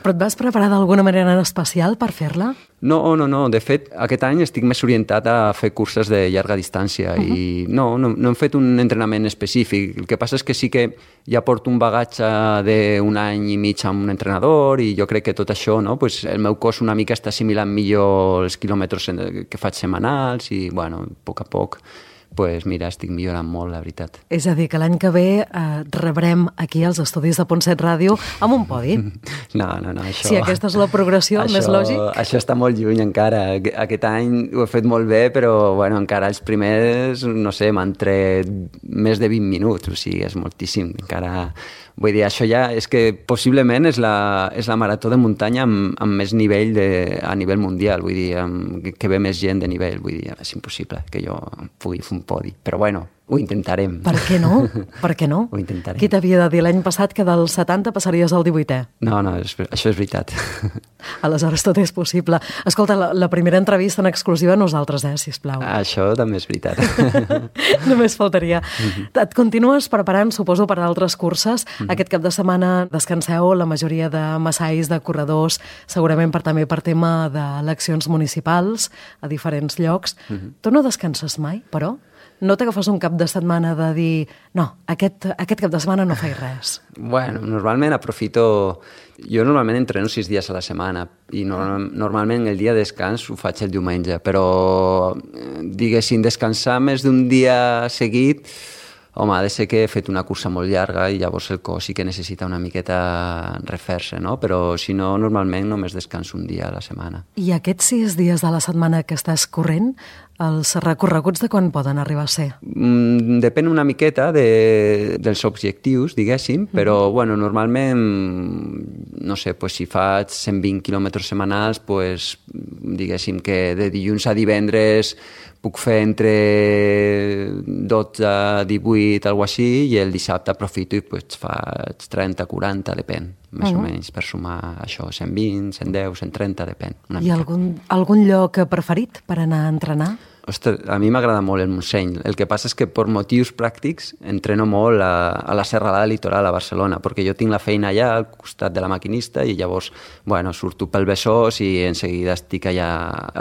Però et vas preparar d'alguna manera en especial per fer-la? No, no, no. De fet, aquest any estic més orientat a fer curses de llarga distància uh-huh. i no, no, no hem fet un entrenament específic. El que passa és que sí que ja porto un bagatge d'un any i mig amb un entrenador i jo crec que tot això, no? Pues el meu cos una mica està assimilant millor els quilòmetres que faig setmanals i, bueno, a poc a poc pues mira, estic millorant molt, la veritat. És a dir, que l'any que ve eh, rebrem aquí als estudis de Pontset Ràdio amb un podi. No, no, no, això... Si aquesta és la progressió, això, més lògic. Això està molt lluny encara. Aquest any ho he fet molt bé, però bueno, encara els primers, no sé, m'han tret més de vint minuts, o sigui, és moltíssim. Encara... Vull dir, això ja és que possiblement és la, és la marató de muntanya amb, amb més nivell de, a nivell mundial, vull dir, amb, que ve més gent de nivell, vull dir, és impossible que jo pugui fer un podi, però bueno, ho intentarem. Per què no? Per què no? Ho intentarem. Qui t'havia de dir l'any passat que del setanta passaries al divuitè? No, no, és, això és veritat. Aleshores tot és possible. Escolta, la, la primera entrevista en exclusiva a nosaltres, eh, sisplau. Això també és veritat. Només faltaria. Uh-huh. Et continues preparant, suposo, per a altres curses. Uh-huh. Aquest cap de setmana descanseu la majoria de massais, de corredors, segurament per també per tema d'eleccions municipals a diferents llocs. Uh-huh. Tu no descanses mai, però? No t'agafes un cap de setmana de dir no, aquest, aquest cap de setmana no faig res? Bueno, normalment aprofito... Jo normalment entreno sis dies a la setmana i no, normalment el dia de descans ho faig el diumenge, però diguéssim, descansar més d'un dia seguit, home, ha de ser que he fet una cursa molt llarga i llavors el cos sí que necessita una miqueta refer-se, no? Però si no, normalment només descanso un dia a la setmana. I aquests sis dies de la setmana que estàs corrent, els recorreguts de quan poden arribar a ser? Mm, depèn una miqueta de, dels objectius, diguéssim, però mm-hmm. bueno, normalment, no sé, pues, si faig cent vint quilòmetres setmanals, pues, diguéssim que de dilluns a divendres puc fer entre dotze, divuit, alguna cosa així, i el dissabte aprofito i pues, faig trenta, quaranta, depèn, més uh-huh. o menys, per sumar això, cent vint, cent deu, cent trenta, depèn. I algun, algun lloc preferit per anar a entrenar? Ostres, a mi m'agrada molt el Montseny. El que passa és que per motius pràctics entreno molt a, a la Serralada Litoral a Barcelona, perquè jo tinc la feina allà al costat de la maquinista i llavors, bueno, surto pel Besòs i en seguida estic allà.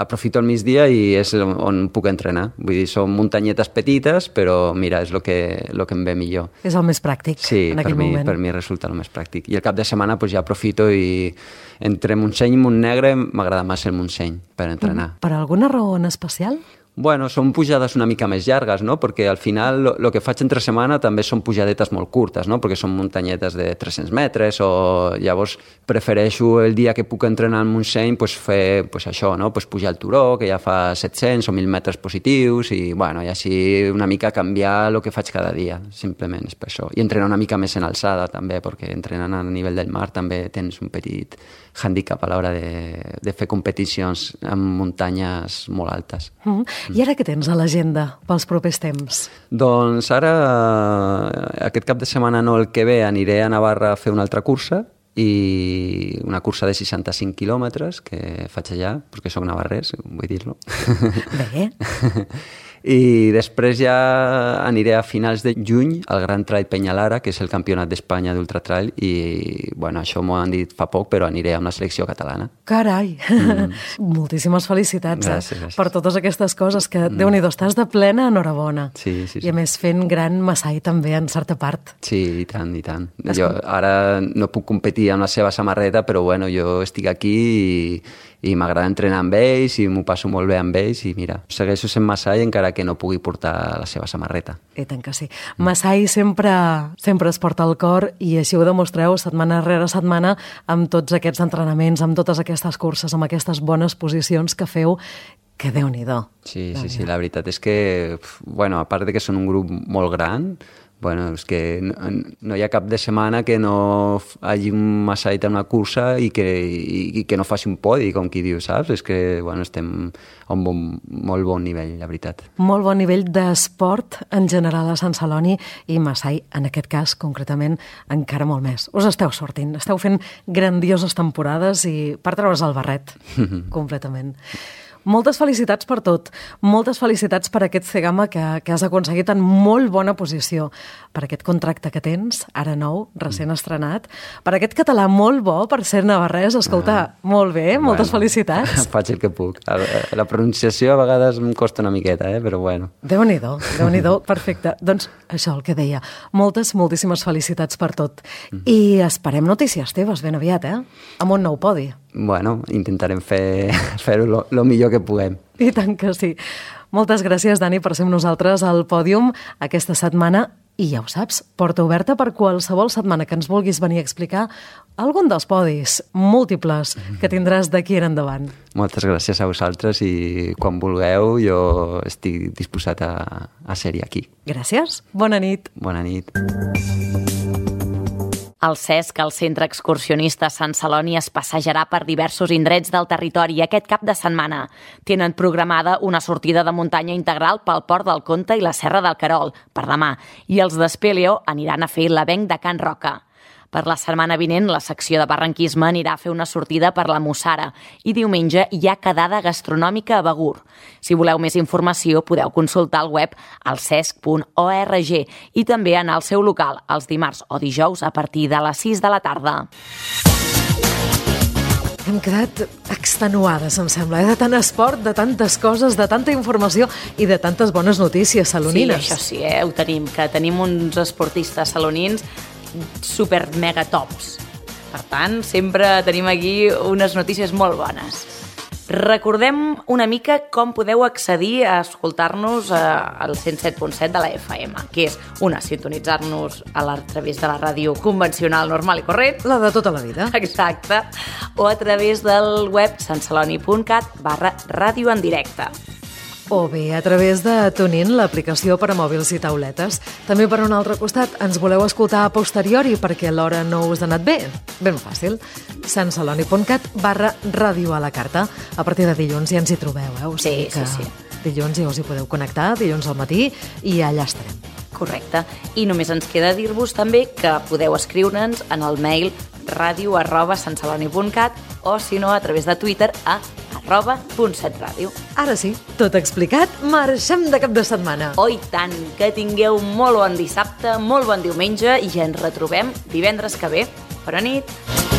Aprofito el migdia i és on puc entrenar. Vull dir, són muntanyetes petites, però mira, és el que, lo que em ve millor. És el més pràctic sí, en aquell mi, moment. Sí, per mi resulta el més pràctic. I el cap de setmana pues, ja aprofito i entre Montseny i Montnegre m'agrada massa el Montseny per entrenar. Per alguna raó en especial? Bueno, són pujades una mica més llargues, no? Perquè al final el que faig entre setmana també són pujadetes molt curtes, no? Perquè són muntanyetes de tres-cents metres o llavors prefereixo el dia que puc entrenar al Montseny pues, fer pues, això, no? Pues, pujar el turó, que ja fa set-cents o mil metres positius i, bueno, i així una mica canviar el que faig cada dia, simplement és per això. I entrenar una mica més en alçada també, perquè entrenant a nivell del mar també tens un petit handicap a l'hora de, de fer competicions en muntanyes molt altes. Mm. I ara què tens a l'agenda pels propers temps? Doncs ara, aquest cap de setmana no, el que ve, aniré a Navarra a fer una altra cursa i una cursa de seixanta-cinc quilòmetres que faig allà, perquè soc navarrès, vull dir-lo. Bé. I després ja aniré a finals de juny al Gran Trail Penyalara, que és el campionat d'Espanya d'ultratrail, i bueno, això m'ho han dit fa poc, però aniré amb la selecció catalana. Carai! Mm. Moltíssimes felicitats gràcies, gràcies. Per totes aquestes coses, que mm. Déu-n'hi-do, estàs de plena enhorabona. Sí, sí, sí. I a més fent gran massai també, en certa part. Sí, i tant, i tant. Jo ara no puc competir amb la seva samarreta, però bueno, jo estic aquí i i m'agrada entrenar amb ells i m'ho passo molt bé amb ells i mira, segueixo sent massai encara que no pugui portar la seva samarreta. I tant que sí. Massai sempre, sempre es porta al cor i així ho demostreu setmana rere setmana amb tots aquests entrenaments, amb totes aquestes curses, amb aquestes bones posicions que feu, que Déu-n'hi-do. Sí, sí, sí, la veritat és que, bueno, a part de que són un grup molt gran, bueno, és que no, no hi ha cap de setmana que no hagi un massait en una cursa i que, i, i que no faci un podi, com qui diu, saps? És que, bueno, estem a un bon, molt bon nivell, la veritat. Molt bon nivell d'esport en general a Sant Celoni i massai, en aquest cas, concretament, encara molt més. Us esteu sortint, esteu fent grandioses temporades i per treure's el barret, completament. Moltes felicitats per tot. Moltes felicitats per aquest C-Gama que, que has aconseguit en molt bona posició. Per aquest contracte que tens, ara nou, recent estrenat. Per aquest català molt bo, per ser navarrès. Escolta, ah, molt bé, moltes bueno, felicitats. Faig el que puc. La pronunciació a vegades em costa una miqueta, eh? Però bueno. Déu-n'hi-do, Déu-n'hi-do, perfecte. Doncs això, el que deia. Moltes, moltíssimes felicitats per tot. Mm. I esperem notícies teves ben aviat, eh? Amb un nou podi. Bueno, intentarem fer, fer-ho lo, lo millor que puguem. I tant que sí. Moltes gràcies, Dani, per ser amb nosaltres al pòdium aquesta setmana. I ja ho saps, porta oberta per qualsevol setmana que ens vulguis venir a explicar algun dels podis múltiples que tindràs d'aquí en endavant. Moltes gràcies a vosaltres i quan vulgueu jo estic disposat a, a ser-hi aquí. Gràcies. Bona nit. Bona nit. El Cesc, el Centre Excursionista Sant Celoni, es passejarà per diversos indrets del territori aquest cap de setmana. Tenen programada una sortida de muntanya integral pel Port del Comte i la Serra del Querol, per demà, i els d'Espeleo aniran a fer l'avenc de Can Roca. Per la setmana vinent, la secció de barranquisme anirà a fer una sortida per la Mussara i diumenge hi ha quedada gastronòmica a Begur. Si voleu més informació, podeu consultar el web al cesc punt org i també anar al seu local els dimarts o dijous a partir de les sis de la tarda. Hem quedat extenuades, em sembla, eh? De tant esport, de tantes coses, de tanta informació i de tantes bones notícies salonines. Sí, això sí, eh? Ho tenim, que tenim uns esportistes salonins super mega tops. Per tant, sempre tenim aquí unes notícies molt bones. Recordem una mica com podeu accedir a escoltar-nos al cent set punt set de la F M, que és, una, sintonitzar-nos a, la, a través de la ràdio convencional, normal i corrent. La de tota la vida. Exacte. O a través del web santceloni punt cat barra ràdio en directe. O bé a través de TuneIn, l'aplicació per a mòbils i tauletes. També per un altre costat, ens voleu escoltar a posteriori perquè l'hora no us ha anat bé? Ben fàcil. santceloni punt cat barra ràdio a la carta. A partir de dilluns ja ens hi trobeu, eh? O sigui sí, sí, sí. Dilluns ja us hi podeu connectar, dilluns al matí, i allà estarem. Correcte. I només ens queda dir-vos també que podeu escriure'ns en el mail ràdio arroba santceloni punt cat o, si no, a través de Twitter a arroba punt set ràdio. Ara sí, tot explicat, marxem de cap de setmana. Oh, i tant, que tingueu molt bon dissabte, molt bon diumenge i ja ens retrobem divendres que ve. Bona nit.